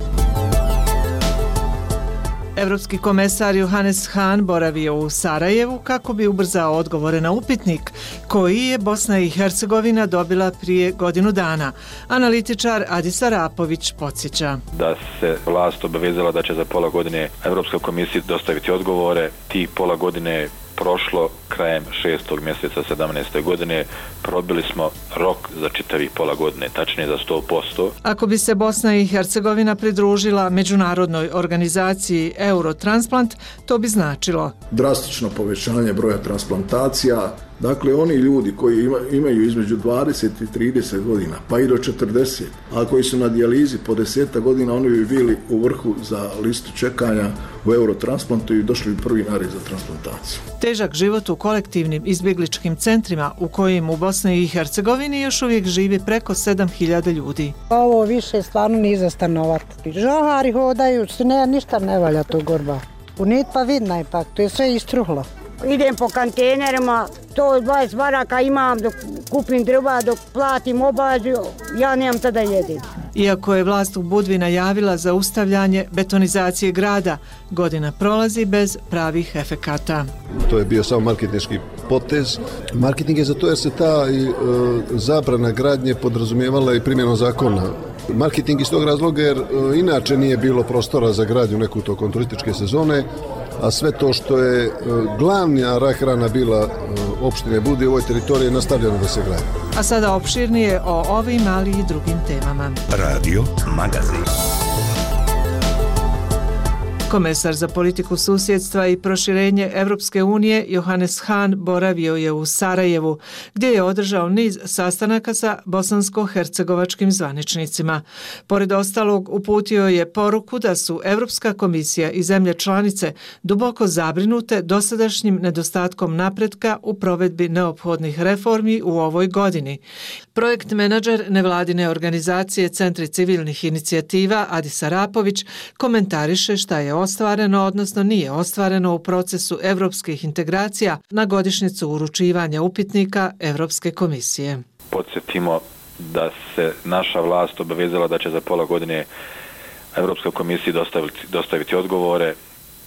Speaker 4: Evropski komesar Johannes Hahn boravio u Sarajevu kako bi ubrzao odgovore na upitnik koji je Bosna i Hercegovina dobila prije godinu dana. Analitičar Adis Arapović podsjeća.
Speaker 11: Da se vlast obavezala da će za pola godine Evropskoj komisiji dostaviti odgovore. Ti pola godine prošlo krajem šestog mjeseca sedamnaeste godine, probili smo rok za čitavih pola godine, tačnije za sto posto.
Speaker 4: Ako bi se Bosna i Hercegovina pridružila međunarodnoj organizaciji Eurotransplant, to bi značilo
Speaker 14: drastično povećanje broja transplantacija. Dakle, oni ljudi koji ima, imaju između dvadeset i trideset godina, pa i do četrdeset, a koji su na dijalizi po deset godina, oni bi bili u vrhu za listu čekanja u Eurotransplantu i došli bi prvi na red za transplantaciju.
Speaker 4: Težak život u kolektivnim izbjegličkim centrima u kojim u Bosni i Hercegovini još uvijek živi preko sedam hiljada ljudi.
Speaker 16: Ovo više stvarno nije za stanovati. Žohari hodaju, ne, ništa ne valja tu gorba. U nit pa vidna ipak, to je sve istruhlo.
Speaker 17: Idem po kontejnerima, to dvadeset baraka imam, dok kupim drva, dok platim obađu, ja nemam tada jedem.
Speaker 4: Iako je vlast u Budvi najavila zaustavljanje betonizacije grada, godina prolazi bez pravih efekata.
Speaker 14: To je bio samo marketinški potez. Marketing je zato jer se ta i, e, zabrana gradnje podrazumijevala i primjenom zakona. Marketing iz tog razloga jer e, inače nije bilo prostora za gradnju neku tokom turističke sezone, a sve to što je e, glavna rahrana bila e, opštine Budvi u ovoj teritoriji nastavljeno da se gradi.
Speaker 4: A sada opširnije o ovim, ali i drugim temama.
Speaker 8: Radio Magazin.
Speaker 4: Komesar za politiku susjedstva i proširenje Evropske unije Johannes Hahn boravio je u Sarajevu, gdje je održao niz sastanaka sa bosansko-hercegovačkim zvaničnicima. Pored ostalog, uputio je poruku da su Evropska komisija i zemlje članice duboko zabrinute dosadašnjim nedostatkom napretka u provedbi neophodnih reformi u ovoj godini. Projekt menadžer nevladine organizacije Centri civilnih inicijativa Adis Arapović komentariše šta je ostvareno, odnosno nije ostvareno u procesu evropskih integracija na godišnjicu uručivanja upitnika Evropske komisije.
Speaker 11: Podsjetimo da se naša vlast obavezala da će za pola godine Evropskoj komisiji dostaviti, dostaviti odgovore.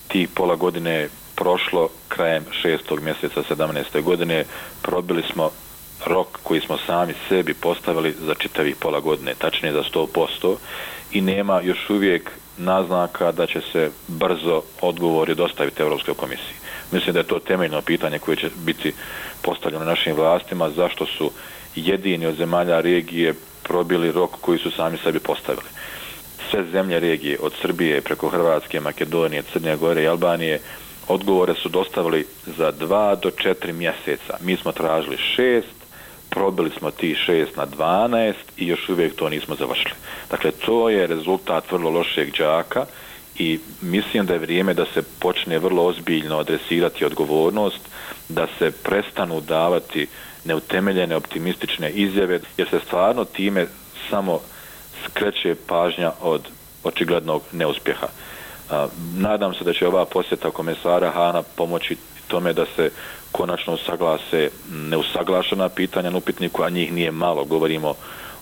Speaker 11: Ti pola godine prošlo krajem šestog mjeseca sedamnaeste godine, probili smo rok koji smo sami sebi postavili za čitavih pola godine, tačnije za sto posto, i nema još uvijek naznaka da će se brzo odgovori dostaviti Europskoj komisiji. Mislim da je to temeljno pitanje koje će biti postavljeno našim vlastima, zašto su jedini od zemalja regije probili rok koji su sami sebi postavili. Sve zemlje regije, od Srbije preko Hrvatske, Makedonije, Crne Gore i Albanije, odgovore su dostavili za dva do četiri mjeseca. Mi smo tražili šest, probili smo ti šest na dvanaest i još uvijek to nismo završili. Dakle, to je rezultat vrlo lošeg đaka i mislim da je vrijeme da se počne vrlo ozbiljno adresirati odgovornost, da se prestanu davati neutemeljene optimistične izjave, jer se stvarno time samo skreće pažnja od očiglednog neuspjeha. Nadam se da će ova posjeta komesara Hana pomoći tome da se konačno usaglase neusaglašena pitanja na upitniku, a njih nije malo, govorimo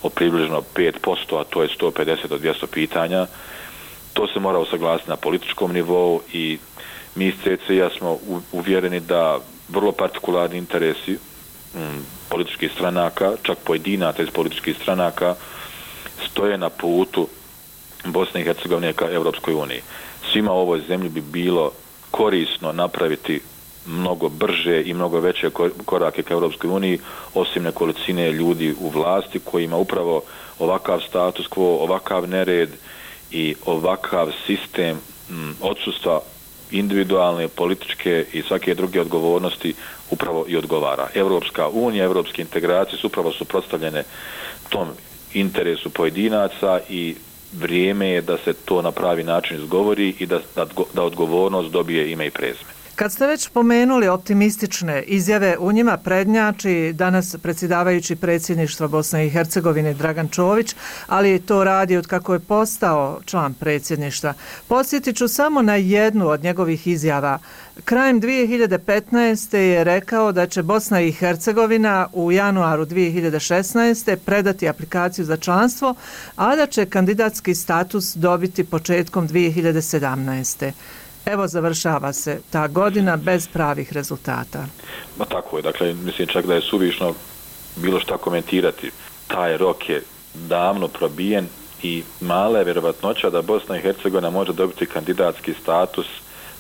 Speaker 11: o približno pet posto, a to je sto pedeset do dvjesto pitanja. To se mora usaglasiti na političkom nivou i mi iz C C I-a smo uvjereni da vrlo partikularni interesi m, političkih stranaka, čak pojedinaca iz političkih stranaka, stoje na putu Bosne i Hercegovine ka Europskoj uniji. Svima u ovoj zemlji bi bilo korisno napraviti mnogo brže i mnogo veće korake ka Europskoj uniji, osim nekolicine ljudi u vlasti kojima upravo ovakav status quo, ovakav nered i ovakav sistem m, odsustva individualne, političke i svake druge odgovornosti upravo i odgovara. Europska unija, europske integracije su upravo suprotstavljene tom interesu pojedinaca i vrijeme je da se to na pravi način izgovori i da, da, da odgovornost dobije ime i prezime.
Speaker 4: Kad ste već pomenuli optimistične izjave, u njima prednjači danas predsjedavajući predsjedništva Bosne i Hercegovine Dragan Čović, ali to radi od kako je postao član predsjedništva. Podsjetit ću samo na jednu od njegovih izjava. Krajem dvije hiljade petnaeste. je rekao da će Bosna i Hercegovina u januaru dvije hiljade šesnaeste. predati aplikaciju za članstvo, a da će kandidatski status dobiti početkom dvije hiljade sedamnaeste. Evo, završava se ta godina bez pravih rezultata.
Speaker 11: Ma tako je, dakle, mislim čak da je suvišno bilo šta komentirati. Taj rok je davno probijen i mala je vjerovatnoća da Bosna i Hercegovina može dobiti kandidatski status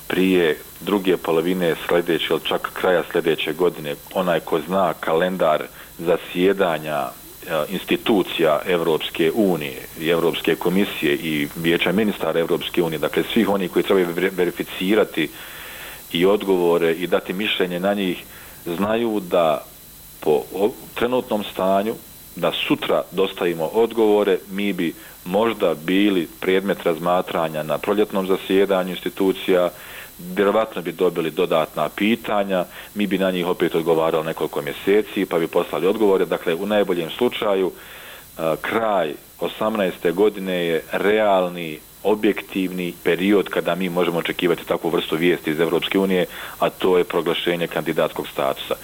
Speaker 11: prije druge polovine sljedeće ili čak kraja sljedeće godine. Onaj ko zna kalendar zasjedanja institucija Evropske unije i Evropske komisije i vijeća ministara Evropske unije, dakle svih oni koji trebaju verificirati i odgovore i dati mišljenje na njih, znaju da po trenutnom stanju, da sutra dostavimo odgovore, mi bi možda bili predmet razmatranja na proljetnom zasjedanju institucija, vjerovatno bi dobili dodatna pitanja, mi bi na njih opet odgovarali nekoliko mjeseci, pa bi poslali odgovore. Dakle, u najboljem slučaju, kraj osamnaeste godine je realni, objektivni period kada mi možemo očekivati takvu vrstu vijesti iz Europske unije, a to je proglašenje kandidatskog statusa.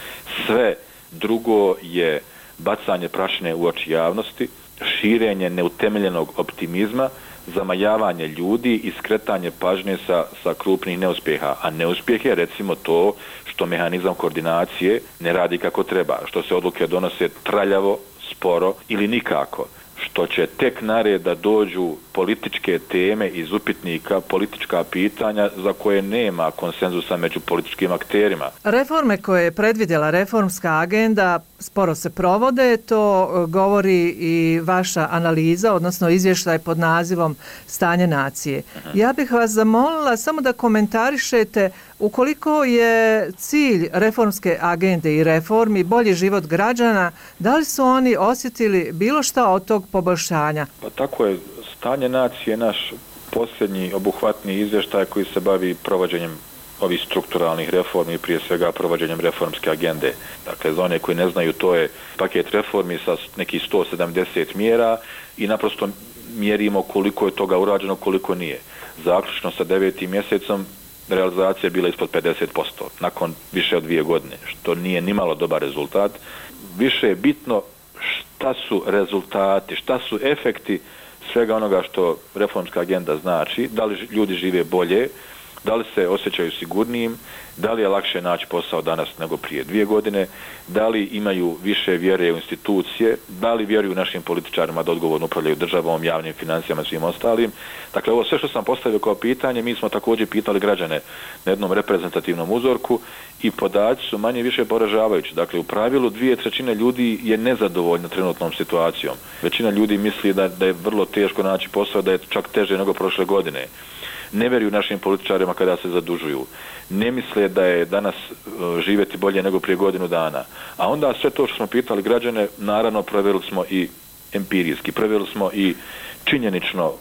Speaker 11: Sve drugo je bacanje prašine u oči javnosti, širenje neutemeljenog optimizma, zamajavanje ljudi i skretanje pažnje sa, sa krupnih neuspjeha. A neuspjeh je recimo to što mehanizam koordinacije ne radi kako treba, što se odluke donose traljavo, sporo ili nikako, što će tek nared da dođu političke teme iz upitnika, politička pitanja za koje nema konsenzusa među političkim akterima.
Speaker 4: Reforme koje je predvidjela reformska agenda sporo se provode, to govori i vaša analiza, odnosno izvještaj pod nazivom Stanje nacije. Uh-huh. Ja bih vas zamolila samo da komentarišete ukoliko je cilj reformske agende i reformi bolji život građana, da li su oni osjetili bilo šta od tog poboljšanja?
Speaker 11: Pa tako je, Stanje nacije je naš posljednji obuhvatni izvještaj koji se bavi provođenjem ovih strukturalnih reformi, prije svega provođenjem reformske agende. Dakle, za one koji ne znaju, to je paket reformi sa nekih sto sedamdeset mjera i naprosto mjerimo koliko je toga urađeno, koliko nije. Zaključno sa devetim mjesecom realizacija je bila ispod pedeset posto nakon više od dvije godine, što nije nimalo dobar rezultat. Više je bitno šta su rezultati, šta su efekti svega onoga što reformska agenda znači, da li ljudi žive bolje, da li se osjećaju sigurnijim, da li je lakše naći posao danas nego prije dvije godine, da li imaju više vjere u institucije, da li vjeruju našim političarima da odgovorno upravljaju državom, javnim financijama i svim ostalim. Dakle, ovo sve što sam postavio kao pitanje, mi smo također pitali građane na jednom reprezentativnom uzorku i podaci su manje više poražavajući. Dakle, u pravilu dvije trećine ljudi je nezadovoljna trenutnom situacijom. Većina ljudi misli da, da je vrlo teško naći posao, da je čak teže nego prošle godine. Ne vjeruju našim političarima kada se zadužuju. Ne misle da je danas živjeti bolje nego prije godinu dana. A onda sve to što smo pitali građane, naravno provjerili smo i empirijski, provjerili smo i činjenično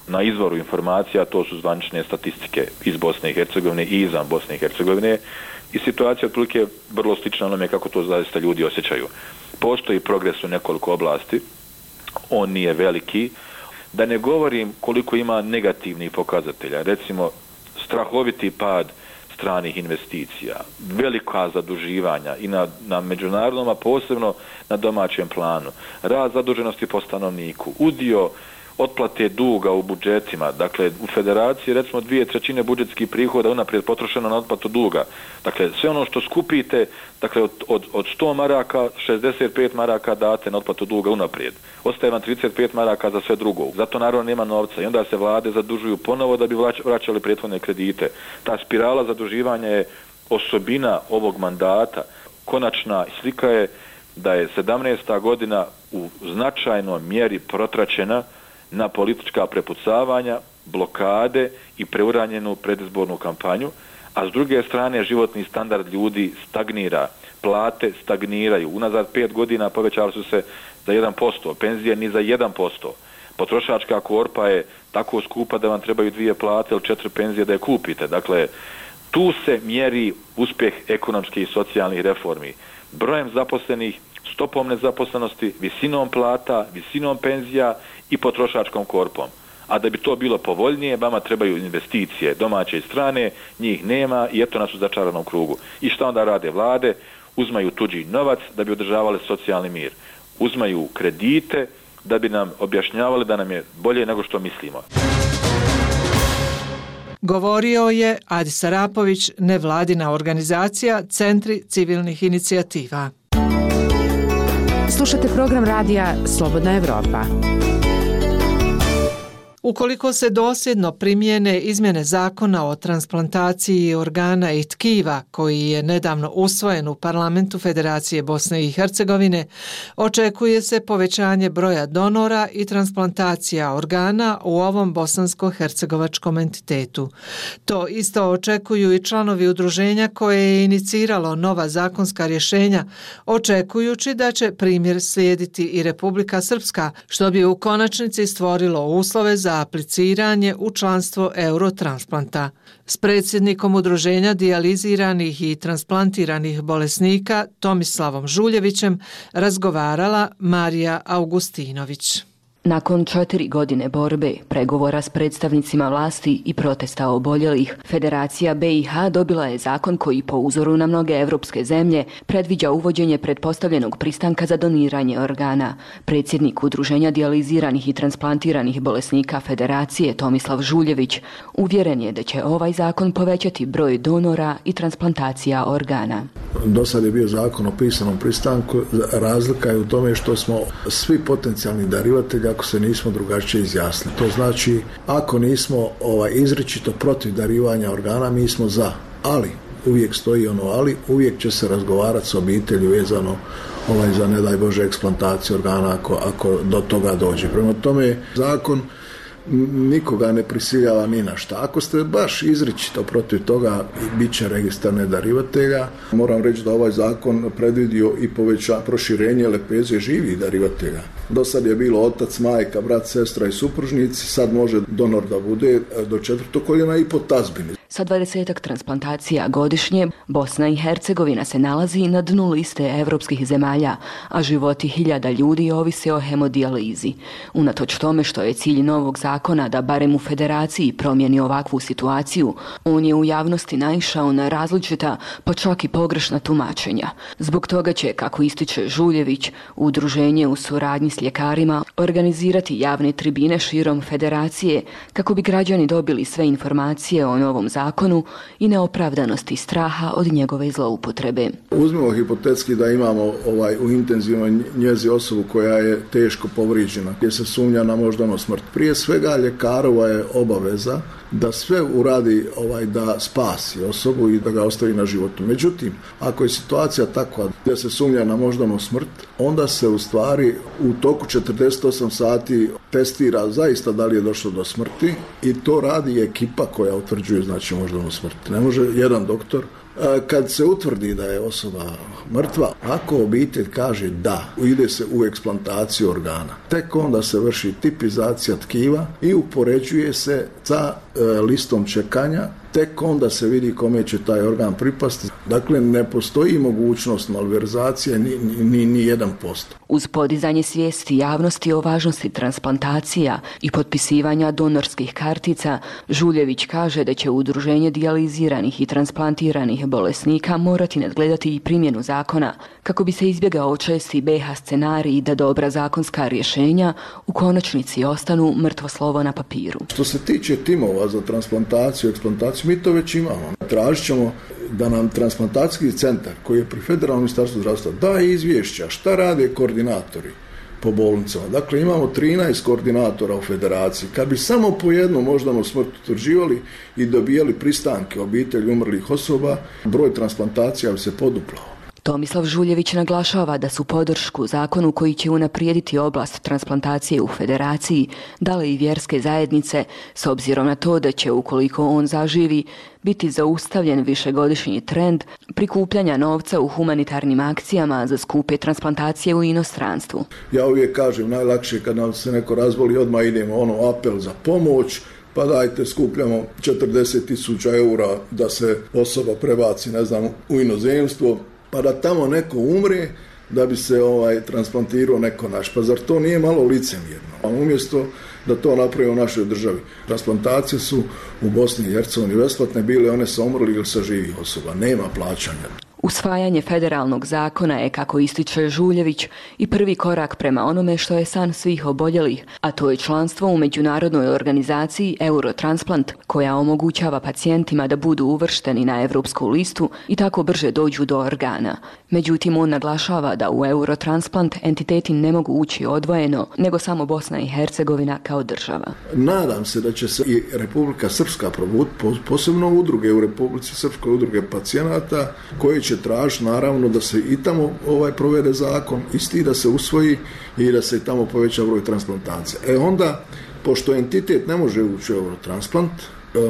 Speaker 11: na izvoru informacija, to su zvanične statistike iz Bosne i Hercegovine i izvan Bosne i Hercegovine, i situacija otprilike je vrlo slična onome kako to zaista ljudi osjećaju. Postoji progres u nekoliko oblasti, on nije veliki, da ne govorim koliko ima negativnih pokazatelja, recimo strahoviti pad stranih investicija, velika zaduživanja i na, na međunarodnom, a posebno na domaćem planu, rast zaduženosti po stanovniku, udio otplate duga u budžetima, dakle u federaciji recimo dvije trećine budžetskih prihoda unaprijed potrošeno na otplatu duga, dakle sve ono što skupite, dakle od, od, od sto maraka šezdeset pet maraka date na otplatu duga unaprijed, ostaje vam trideset pet maraka za sve drugo, zato naravno nema novca i onda se vlade zadužuju ponovo da bi vraćali prethodne kredite. Ta spirala zaduživanja je osobina ovog mandata. Konačna slika je da je sedamnaesta godina u značajnoj mjeri protraćena na politička prepucavanja, blokade i preuranjenu predizbornu kampanju, a s druge strane životni standard ljudi stagnira, plate stagniraju. Unazad pet godina povećali su se za jedan posto, penzije ni za jedan posto. Potrošačka korpa je tako skupa da vam trebaju dvije plate ili četiri penzije da je kupite. Dakle, tu se mjeri uspjeh ekonomskih i socijalnih reformi. Brojem zaposlenih, stopom nezaposlenosti, visinom plata, visinom penzija i potrošačkom korpom. A da bi to bilo povoljnije, vama trebaju investicije domaće i strane, njih nema i eto nas u začaranom krugu. I šta onda rade vlade? Uzmaju tuđi novac da bi održavali socijalni mir. Uzmaju kredite da bi nam objašnjavali da nam je bolje nego što mislimo.
Speaker 4: Govorio je Adis Arapović, nevladina organizacija Centri civilnih inicijativa.
Speaker 2: Slušate program radija Slobodna Evropa.
Speaker 4: Ukoliko se dosljedno primijene izmjene zakona o transplantaciji organa i tkiva koji je nedavno usvojen u parlamentu Federacije Bosne i Hercegovine, očekuje se povećanje broja donora i transplantacija organa u ovom bosansko-hercegovačkom entitetu. To isto očekuju i članovi udruženja koje je iniciralo nova zakonska rješenja, očekujući da će primjer slijediti i Republika Srpska, što bi u konačnici stvorilo uslove za apliciranje u članstvo Eurotransplanta. S predsjednikom udruženja dijaliziranih i transplantiranih bolesnika Tomislavom Žuljevićem razgovarala Marija Augustinović.
Speaker 15: Nakon četiri godine borbe, pregovora s predstavnicima vlasti i protesta oboljelih, Federacija B i H dobila je zakon koji po uzoru na mnoge evropske zemlje predviđa uvođenje pretpostavljenog pristanka za doniranje organa. Predsjednik udruženja dijaliziranih i transplantiranih bolesnika Federacije Tomislav Žuljević uvjeren je da će ovaj zakon povećati broj donora i transplantacija organa.
Speaker 18: Do sad je bio zakon o pisanom pristanku, razlika je u tome što smo svi potencijalni darivatelji ako se nismo drugačije izjasnili. To znači, ako nismo ovaj, izričito protiv darivanja organa, mi smo za. Ali, uvijek stoji ono ali, uvijek će se razgovarati s obitelji vezano ovaj, za, ne daj Bože, eksplantaciju organa ako, ako do toga dođe. Prema tome, zakon nikoga ne prisiljava ni na šta. Ako ste baš izričito protiv toga, bit će registar nedarivatelja. Moram reći da ovaj zakon predvidio i poveća proširenje lepeze živih darivatelja. Do sad je bilo otac, majka, brat, sestra i supružnici, sad može donor da bude do četvrtog koljena i po tazbini.
Speaker 15: Sa dvadesetak transplantacija godišnje, Bosna i Hercegovina se nalazi na dnu liste evropskih zemalja, a životi hiljada ljudi ovise o hemodijalizi. Unatoč tome što je cilj novog zakona da barem u Federaciji promijeni ovakvu situaciju, on je u javnosti naišao na različita, pa čak i pogrešna tumačenja. Zbog toga će, kako ističe Žuljević, udruženje u suradnji s ljekarima organizirati javne tribine širom Federacije kako bi građani dobili sve informacije o novom zakonu i neopravdanosti straha od njegove zloupotrebe.
Speaker 18: Uzmimo hipotetski da imamo ovaj, u intenzivnoj njezi osobu koja je teško povrijeđena, gdje se sumnja na moždanu smrt. Prije svega ljekarova je obaveza da sve uradi ovaj, da spasi osobu i da ga ostavi na životu. Međutim, ako je situacija takva da se sumnja na moždanu smrt, onda se u stvari u toku četrdeset osam sati testira zaista da li je došlo do smrti i to radi ekipa koja utvrđuje znači moždanu smrt. Ne može jedan doktor Kad se utvrdi da je osoba mrtva, ako obitelj kaže da, ide se u eksplantaciju organa. Tek onda se vrši tipizacija tkiva i upoređuje se sa listom čekanja. Tek onda se vidi kome će taj organ pripasti. Dakle, ne postoji mogućnost malverzacije ni, ni, ni jedan posto.
Speaker 15: Uz podizanje svijesti javnosti o važnosti transplantacija i potpisivanja donorskih kartica, Žuljević kaže da će udruženje dijaliziranih i transplantiranih bolesnika morati nadgledati i primjenu zakona kako bi se izbjegao česti B H scenarij da dobra zakonska rješenja u konačnici ostanu mrtvo slovo na papiru.
Speaker 18: Što se tiče timova za transplantaciju, eksplantaciju, mi to već imamo. Tražit ćemo da nam transplantacijski centar koji je pri Federalnom ministarstvu zdravstva daje izvješća šta rade koordinatori po bolnicama. Dakle, imamo trinaest koordinatora u federaciji. Kad bi samo po jednom moždanu smrt utvrđivali i dobijali pristanke obitelji umrlih osoba, broj transplantacija bi se poduplao.
Speaker 15: Tomislav Žuljević naglašava da su podršku zakonu koji će unaprijediti oblast transplantacije u federaciji dale i vjerske zajednice, s obzirom na to da će, ukoliko on zaživi, biti zaustavljen višegodišnji trend prikupljanja novca u humanitarnim akcijama za skupe transplantacije u inostranstvu.
Speaker 18: Ja uvijek kažem, najlakše kad nam se neko razboli, odmah idemo ono apel za pomoć, pa dajte skupljamo četrdeset tisuća eura da se osoba prebaci, ne znam, u inozemstvo, pa da tamo neko umre da bi se ovaj transplantirao neko naš. Pa zar to nije malo licemjerno? A umjesto da to napravi u našoj državi. Transplantacije su u Bosni i Hercegovini besplatne bile one sa umrlih ili sa živih osoba. Nema plaćanja.
Speaker 15: Usvajanje federalnog zakona je, kako ističe Žuljević, i prvi korak prema onome što je san svih oboljelih, a to je članstvo u međunarodnoj organizaciji Eurotransplant, koja omogućava pacijentima da budu uvršteni na europsku listu i tako brže dođu do organa. Međutim, on naglašava da u Eurotransplant entiteti ne mogu ući odvojeno, nego samo Bosna i Hercegovina kao država.
Speaker 18: Nadam se da će se i Republika Srpska probuditi, posebno udruge u Republici Srpskoj, udruge pacijenata, koje će tražiti naravno da se i tamo ovaj provede zakon, isti da se usvoji i da se tamo poveća broj transplantacija. E onda, pošto entitet ne može ući u Eurotransplant,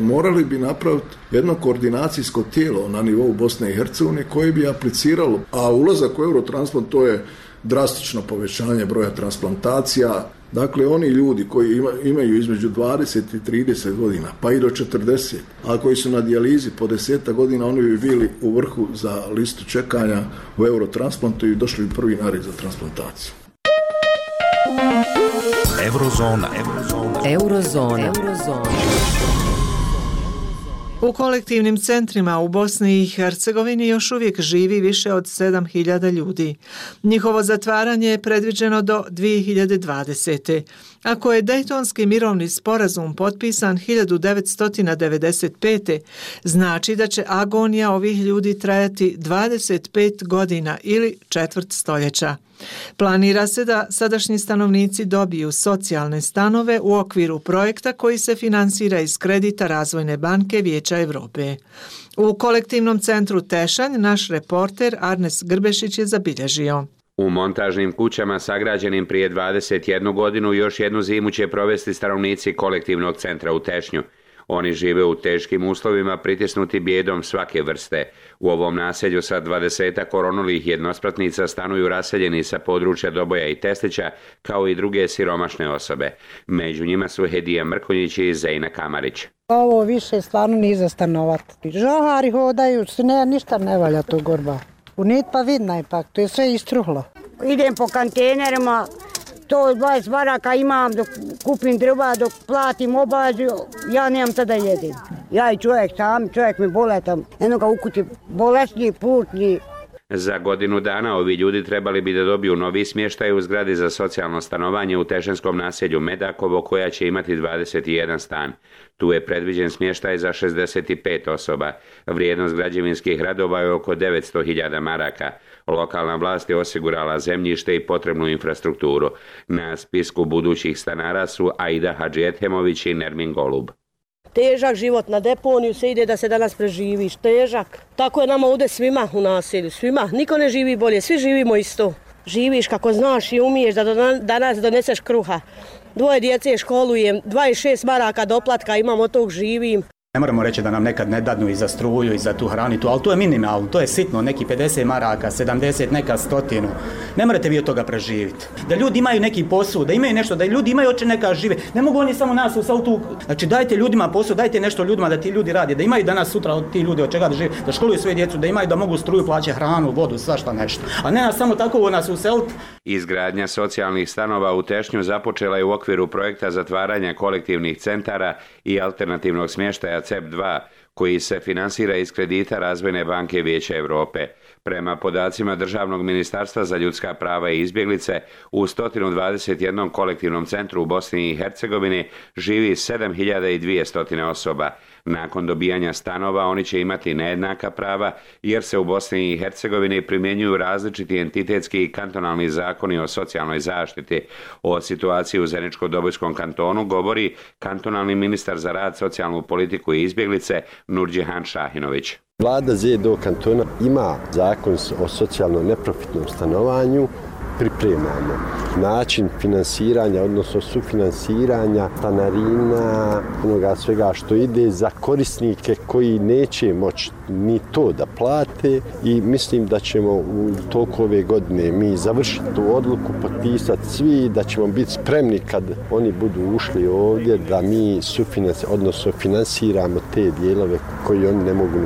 Speaker 18: morali bi napraviti jedno koordinacijsko tijelo na nivou Bosne i Hercegovine koje bi apliciralo, a ulazak u Eurotransplant to je drastično povećanje broja transplantacija. Dakle, oni ljudi koji ima, imaju između dvadeset i trideset godina, pa i do četrdeset, a koji su na dijalizi po deset godina, oni bi bili u vrhu za listu čekanja u Eurotransplantu i došli bi prvi na red za transplantaciju.
Speaker 8: Eurozona. Eurozona.
Speaker 2: Eurozona. Eurozona.
Speaker 4: U kolektivnim centrima u Bosni i Hercegovini još uvijek živi više od sedam hiljada ljudi. Njihovo zatvaranje je predviđeno do dvije hiljade dvadesete. Ako je Dejtonski mirovni sporazum potpisan hiljadu devetsto devedeset pete. znači da će agonija ovih ljudi trajati dvadeset pet godina ili četvrt stoljeća. Planira se da sadašnji stanovnici dobiju socijalne stanove u okviru projekta koji se finansira iz kredita Razvojne banke Vijeća Europe. U kolektivnom centru Tešanj naš reporter Arnes Grbešić je zabilježio.
Speaker 6: U montažnim kućama sagrađenim prije dvadeset jednu godinu još jednu zimu će provesti stanovnici kolektivnog centra u Tešnju. Oni žive u teškim uslovima, pritisnuti bijedom svake vrste. U ovom naselju sa dvadesetak koronulih jednospratnica stanuju raseljeni sa područja Doboja i Testića, kao i druge siromašne osobe. Među njima su Hedija Mrkonjić i Zejna Kamarić.
Speaker 16: Ovo više stvarno nije za stanovati. Žohari hodaju, ne, ništa ne valja to gorba. U nit pa vidna ipak, to je sve istruhlo.
Speaker 17: Idem po kontejnerima, to dvadeset baraka imam, dok kupim drva, dok platim obađu, ja nemam tada jedem. Ja i čovjek sam, čovjek mi boletam, jedno ga ukuti bolesni, putni.
Speaker 6: Za godinu dana ovi ljudi trebali bi da dobiju novi smještaj u zgradi za socijalno stanovanje u tešanskom naselju Medakovo, koja će imati dvadeset jedan stan. Tu je predviđen smještaj za šezdeset pet osoba. Vrijednost građevinskih radova je oko devetsto hiljada maraka. Lokalna vlast je osigurala zemljište i potrebnu infrastrukturu. Na spisku budućih stanara su Aida Hadžijethemović i Nermin Golub.
Speaker 19: Težak život, na deponiju se ide da se danas preživiš, težak. Tako je nama ovdje svima u naselju, svima. Niko ne živi bolje, svi živimo isto. Živiš kako znaš i umiješ da danas doneseš kruha. Dvoje djece školujem, dvadeset šest maraka doplatka imam, od tog živim.
Speaker 7: Ne moramo reći da nam nekad ne dadnu i za struju i za tu hranu, ali to je minimalno, to je sitno, neki pedeset maraka, sedamdeset, neka stotinu. Ne morate vi od toga preživjeti. Da ljudi imaju neki posao, da imaju nešto, da ljudi imaju oče neka žive. Ne mogu oni samo nas u sautu. Znači dajte ljudima posao, dajte nešto ljudima da ti ljudi rade, da imaju danas sutra ti ljudi od čega da žive, da školuju svoje djecu, da imaju da mogu struju plaćati, hranu, vodu, svašta nešto. A ne nas samo tako u nas useliti.
Speaker 6: Izgradnja socijalnih stanova u Tešnju započela je u okviru projekta zatvaranja kolektivnih centara i alternativnog smještaja C E P dva, koji se finansira iz kredita Razvojne banke Vijeća Europe. Prema podacima Državnog ministarstva za ljudska prava i izbjeglice, u sto dvadeset jedan kolektivnom centru u Bosni i Hercegovini živi sedam hiljada dvjesto osoba. Nakon dobijanja stanova oni će imati nejednaka prava jer se u Bosni i Hercegovini primjenjuju različiti entitetski i kantonalni zakoni o socijalnoj zaštiti. O situaciji u Zeničko-Dobojskom kantonu govori kantonalni ministar za rad, socijalnu politiku i izbjeglice Nurdžehan Šahinović.
Speaker 9: Vlada Z D O kantona ima zakon o socijalno neprofitnom stanovanju, pripremamo način finansiranja, odnosno sufinansiranja stanarina, onoga svega što ide za korisnike koji neće moći ni to da plate i mislim da ćemo u toku ove godine mi završiti tu odluku, potpisati svi, da ćemo biti spremni kad oni budu ušli ovdje da mi sufinansiramo, odnosno finansiramo te dijelove koji oni ne mogu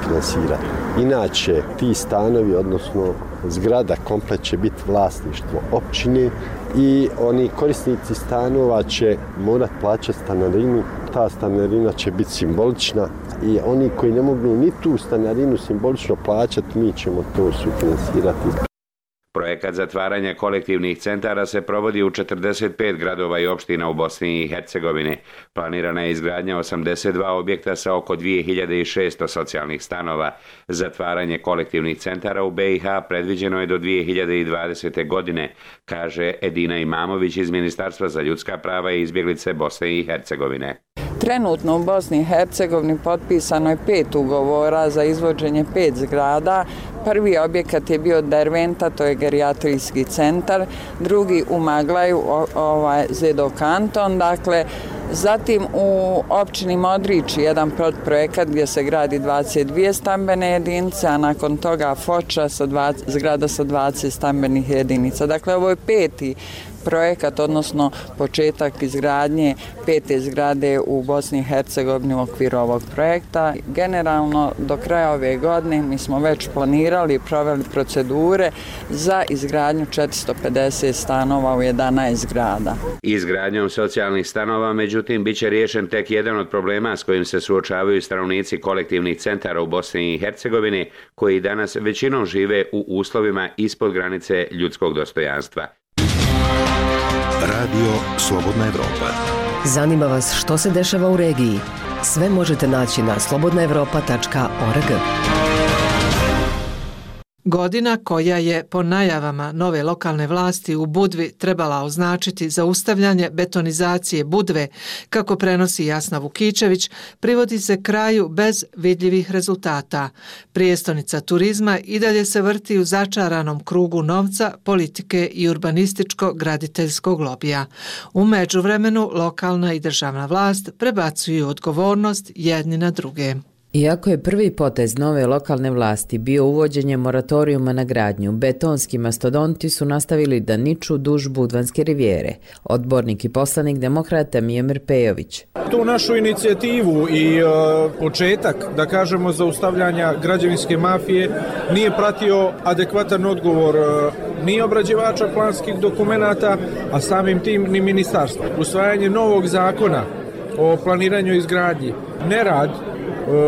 Speaker 9: finansirati. Inače, ti stanovi, odnosno zgrada komplet će biti vlasništvo općine i oni korisnici stanova će morati plaćati stanarinu. Ta stanarina će biti simbolična i oni koji ne mogu ni tu stanarinu simbolično plaćati, mi ćemo to sufinansirati.
Speaker 6: Projekat zatvaranja kolektivnih centara se provodi u četrdeset pet gradova i opština u Bosni i Hercegovini. Planirana je izgradnja osamdeset dva objekta sa oko dvije hiljade šesto socijalnih stanova. Zatvaranje kolektivnih centara u B i H predviđeno je do dvije hiljade dvadesete. godine, kaže Edina Imamović iz Ministarstva za ljudska prava i izbjeglice Bosne i Hercegovine.
Speaker 20: Trenutno u Bosni i Hercegovini potpisano je pet ugovora za izvođenje pet zgrada. Prvi objekat je bio Derventa, to je gerijatrijski centar, drugi u Maglaju, ovaj Z D O kanton, dakle, zatim u općini Modrići jedan projekat gdje se gradi dvadeset dvije stambene jedinice, a nakon toga Foča sa dvadeset, zgrada sa dvadeset stambenih jedinica. Dakle, ovo je peti projekat, odnosno početak izgradnje pete zgrade u Bosni i Hercegovini u okviru ovog projekta. Generalno, do kraja ove godine mi smo već planirali i proveli procedure za izgradnju četiristo pedeset stanova u jedanaest zgrada.
Speaker 6: Izgradnjom socijalnih stanova, međutim, bit će riješen tek jedan od problema s kojim se suočavaju stanovnici kolektivnih centara u Bosni i Hercegovini, koji danas većinom žive u uslovima ispod granice ljudskog dostojanstva.
Speaker 8: Radio Slobodna Evropa.
Speaker 21: Zanima vas što se dešava u regiji? Sve možete naći na slobodna evropa tačka org.
Speaker 4: Godina koja je po najavama nove lokalne vlasti u Budvi trebala označiti zaustavljanje betonizacije Budve, kako prenosi Jasna Vukičević, privodi se kraju bez vidljivih rezultata. Prijestonica turizma i dalje se vrti u začaranom krugu novca, politike i urbanističko-graditeljskog lobija. U međuvremenu lokalna i državna vlast prebacuju odgovornost jedni na druge.
Speaker 22: Iako je prvi potez nove lokalne vlasti bio uvođenje moratorijuma na gradnju, betonski mastodonti su nastavili da niču duž Budvanske rivijere. Odbornik i poslanik demokrata Mijomir Pejović.
Speaker 23: Tu našu inicijativu i uh, početak, da kažemo, zaustavljanja građevinske mafije nije pratio adekvatan odgovor uh, ni obrađivača planskih dokumenata, a samim tim ni ministarstva. Usvajanje novog zakona o planiranju i izgradnji, nerad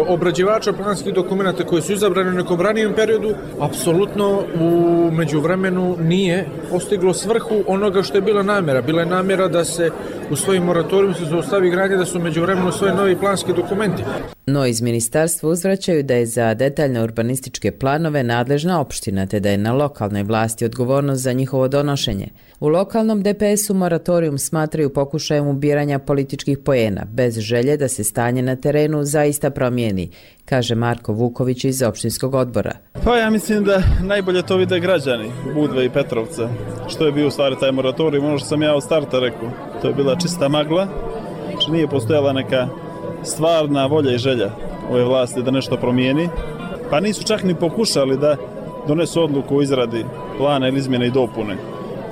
Speaker 23: obrađivača planskih dokumenta koji su izabrani u nekom ranijem periodu, apsolutno u međuvremenu nije postiglo svrhu onoga što je bila namjera. Bila je namjera da se u svojim moratorijum se zaustavi gradnje, da su u međuvremenu svoje novi planski dokumenti.
Speaker 22: No iz ministarstva uzvraćaju da je za detaljne urbanističke planove nadležna opština, te da je na lokalnoj vlasti odgovornost za njihovo donošenje. U lokalnom D P S-u moratorijum smatraju pokušajem ubiranja političkih poena, bez želje da se stanje na terenu zaista promijeni, kaže Marko Vuković iz opštinskog odbora.
Speaker 24: Pa ja mislim da najbolje to vide građani Budve i Petrovca. Što je bio u stvari taj moratorijum, ono što sam ja od starta rekao. To je bila čista magla, znači nije postojala neka stvarna volja i želja ove vlasti da nešto promijeni. Pa nisu čak ni pokušali da donesu odluku o izradi plana ili izmjene i dopune,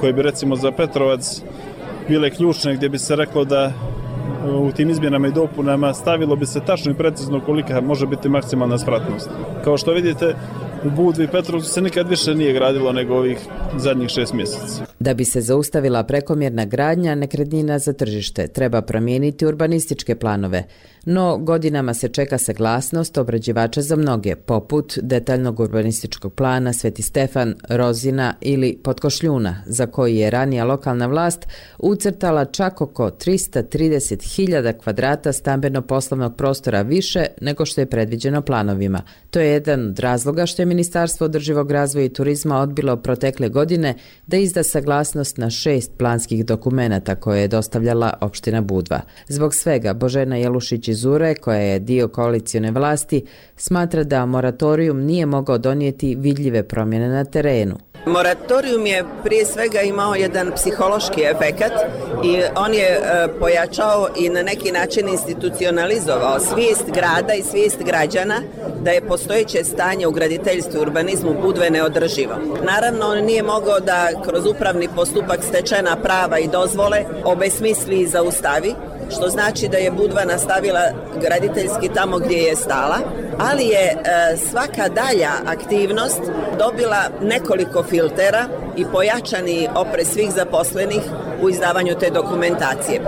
Speaker 24: koje bi recimo za Petrovac bile ključne, gdje bi se reklo da u tim izmjenama i dopunama stavilo bi se tačno i precizno kolika može biti maksimalna spratnost. Kao što vidite, u Budvi i Petrovcu se nikad više nije gradilo nego ovih zadnjih šest mjeseci.
Speaker 22: Da bi se zaustavila prekomjerna gradnja nekretnina za tržište, treba promijeniti urbanističke planove. No, godinama se čeka saglasnost obrađivača za mnoge, poput detaljnog urbanističkog plana Sveti Stefan, Rozina ili Potkošljuna, za koji je ranija lokalna vlast ucrtala čak oko tristo trideset hiljada kvadrata stambeno-poslovnog prostora više nego što je predviđeno planovima. To je jedan od razloga što je Ministarstvo održivog razvoja i turizma odbilo protekle godine da izda saglasnost na šest planskih dokumenata koje je dostavljala opština Budva. Zbog svega, Božena Jelušić iz Ure, koja je dio koalicione vlasti, smatra da moratorium nije mogao donijeti vidljive promjene na terenu.
Speaker 3: Moratorium je prije svega imao jedan psihološki efekat i on je e, pojačao i na neki način institucionalizovao svijest grada i svijest građana da je postojeće stanje u graditeljstvu i urbanizmu Budve neodrživo. Naravno, on nije mogao da kroz upravni postupak stečena prava i dozvole obesmisli i zaustavi, što znači da je Budva nastavila graditeljski tamo gdje je stala, ali je e, svaka dalja aktivnost dobila nekoliko filtera i pojačani oprez svih zaposlenih u izdavanju te dokumentacije.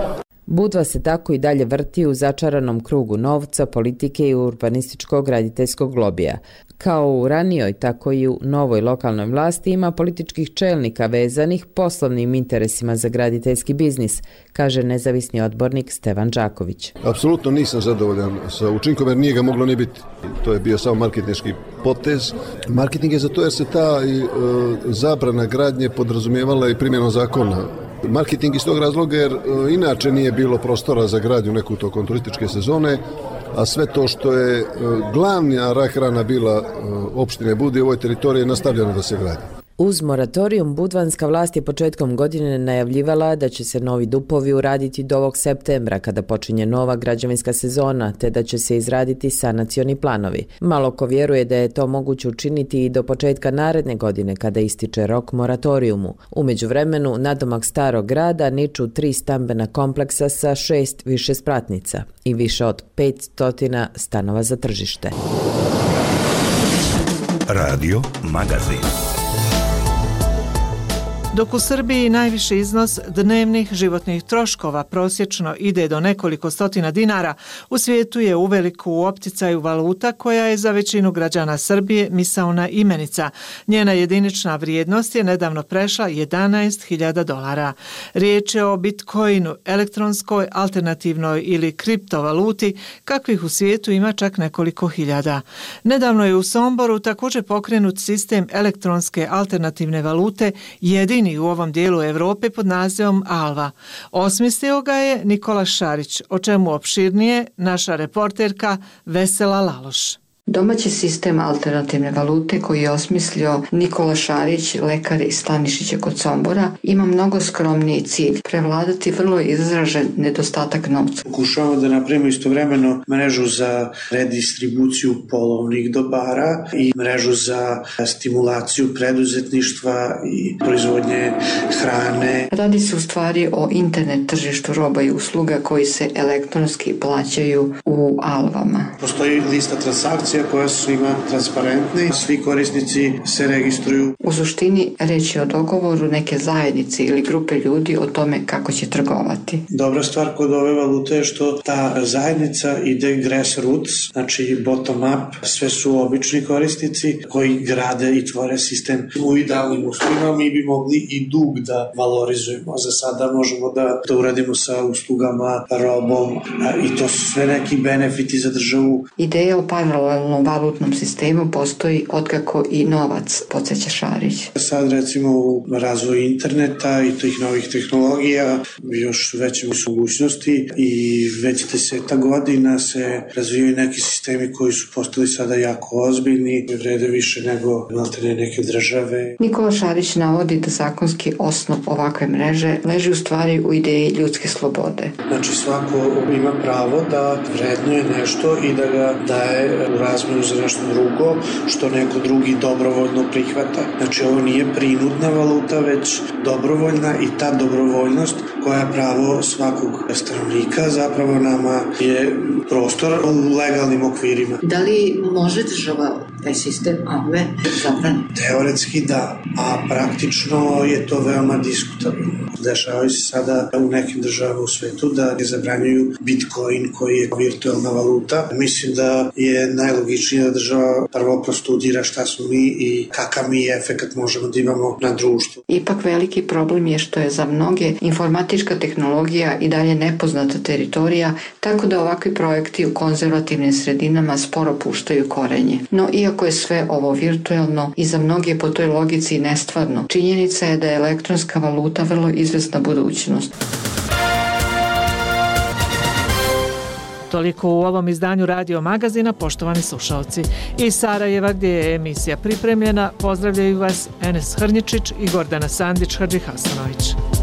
Speaker 22: Budva se tako i dalje vrti u začaranom krugu novca, politike i urbanističkog graditeljskog lobija. Kao u ranijoj, tako i u novoj lokalnoj vlasti ima političkih čelnika vezanih poslovnim interesima za graditeljski biznis, kaže nezavisni odbornik Stevan Đaković.
Speaker 14: Apsolutno nisam zadovoljan sa učinkom jer nije ga moglo ni biti. To je bio samo marketinški potez. Marketing je zato jer se ta e, zabrana gradnje podrazumijevala i primjenom zakona. Marketing iz tog razloga jer e, inače nije bilo prostora za gradnju neku tokom turističke sezone, a sve to što je e, glavna rak rana bila e, opštine Budve u ovoj teritoriji je nastavljeno da se gradi.
Speaker 22: Uz moratorium, budvanska vlast je početkom godine najavljivala da će se novi dupovi uraditi do ovog septembra kada počinje nova građevinska sezona, te da će se izraditi sanacioni planovi. Malo ko vjeruje da je to moguće učiniti i do početka naredne godine kada ističe rok moratorijumu. U međuvremenu, nadomak starog grada niču tri stambena kompleksa sa šest višespratnica i više od petsto stanova za tržište.
Speaker 8: Radio Magazin.
Speaker 4: Dok u Srbiji najviši iznos dnevnih životnih troškova prosječno ide do nekoliko stotina dinara, u svijetu je uveliko u opticaju valuta koja je za većinu građana Srbije misaona imenica. Njena jedinična vrijednost je nedavno prešla jedanaest hiljada dolara. Riječ je o bitcoinu, elektronskoj, alternativnoj ili kriptovaluti, kakvih u svijetu ima čak nekoliko hiljada. Nedavno je u Somboru također pokrenut sistem elektronske alternativne valute, jedini u ovom dijelu Europe pod nazivom Alva. Osmislio ga je Nikola Šarić, o čemu opširnije naša reporterka Vesela Laloš.
Speaker 5: Domaći sistem alternativne valute koji je osmislio Nikola Šarić, lekar iz Stanišića kod Sombora, ima mnogo skromniji cilj, prevladati vrlo izražen nedostatak novca.
Speaker 10: Pokušavamo da napravimo istovremeno mrežu za redistribuciju polovnih dobara i mrežu za stimulaciju preduzetništva i proizvodnje hrane.
Speaker 5: Radi se u stvari o internet tržištu roba i usluga koji se elektronski plaćaju u alvama.
Speaker 10: Postoji lista transakcija koja su svima transparentni, svi korisnici se registruju.
Speaker 5: U suštini reč je o dogovoru neke zajednice ili grupe ljudi o tome kako će trgovati.
Speaker 10: Dobra stvar kod ove valute je što ta zajednica ide grassroots, znači bottom up, sve su obični korisnici koji grade i tvore sistem. U idealnim uslovima mi bi mogli i dug da valorizujemo. Za sada možemo da to uradimo sa uslugama, robom i to su sve neki benefiti za državu.
Speaker 5: Ideja o paralelnom virtualnom valutnom sistemu postoji otkako i novac, podsjeća Šarić.
Speaker 10: Sad recimo u razvoju interneta i tih novih tehnologija još veće su mogućnosti i već deseta godina se razvijaju neki sistemi koji su postali sada jako ozbiljni i vrede više nego maltene neke države.
Speaker 5: Nikola Šarić navodi da zakonski osnov ovakve mreže leži u stvari u ideji ljudske slobode.
Speaker 10: Znači svako ima pravo da vrednuje nešto i da ga daje u razmenu za nešto drugo što neko drugi dobrovoljno prihvata. Znači ovo nije prinudna valuta, već dobrovoljna i ta dobrovoljnost koja je pravo svakog stanovnika zapravo nama je prostor u legalnim okvirima.
Speaker 5: Da li može država taj sistem A V zabraniti?
Speaker 10: Teoretski da, a praktično je to veoma diskutabilno. Dešavaju se sada u nekim državama u svetu da ne zabranjuju Bitcoin koji je virtualna valuta. Mislim da je najlogičnije da država prvo prostudira šta smo mi i kakav mi efekat možemo da imamo na društvu.
Speaker 5: Ipak veliki problem je što je za mnoge informatička tehnologija i dalje nepoznata teritorija, tako da ovakvi projekti u konzervativnim sredinama sporo puštaju korenje. No iako je sve ovo virtualno i za mnoge po toj logici nestvarno, činjenica je da je elektronska valuta vrlo izvesna budućnost.
Speaker 4: Toliko u ovom izdanju Radio Magazina, poštovani slušalci. Iz Sarajeva, gdje je emisija pripremljena, pozdravljaju vas Enes Hrnjičić i Gordana Sandić-Hadžihasanović.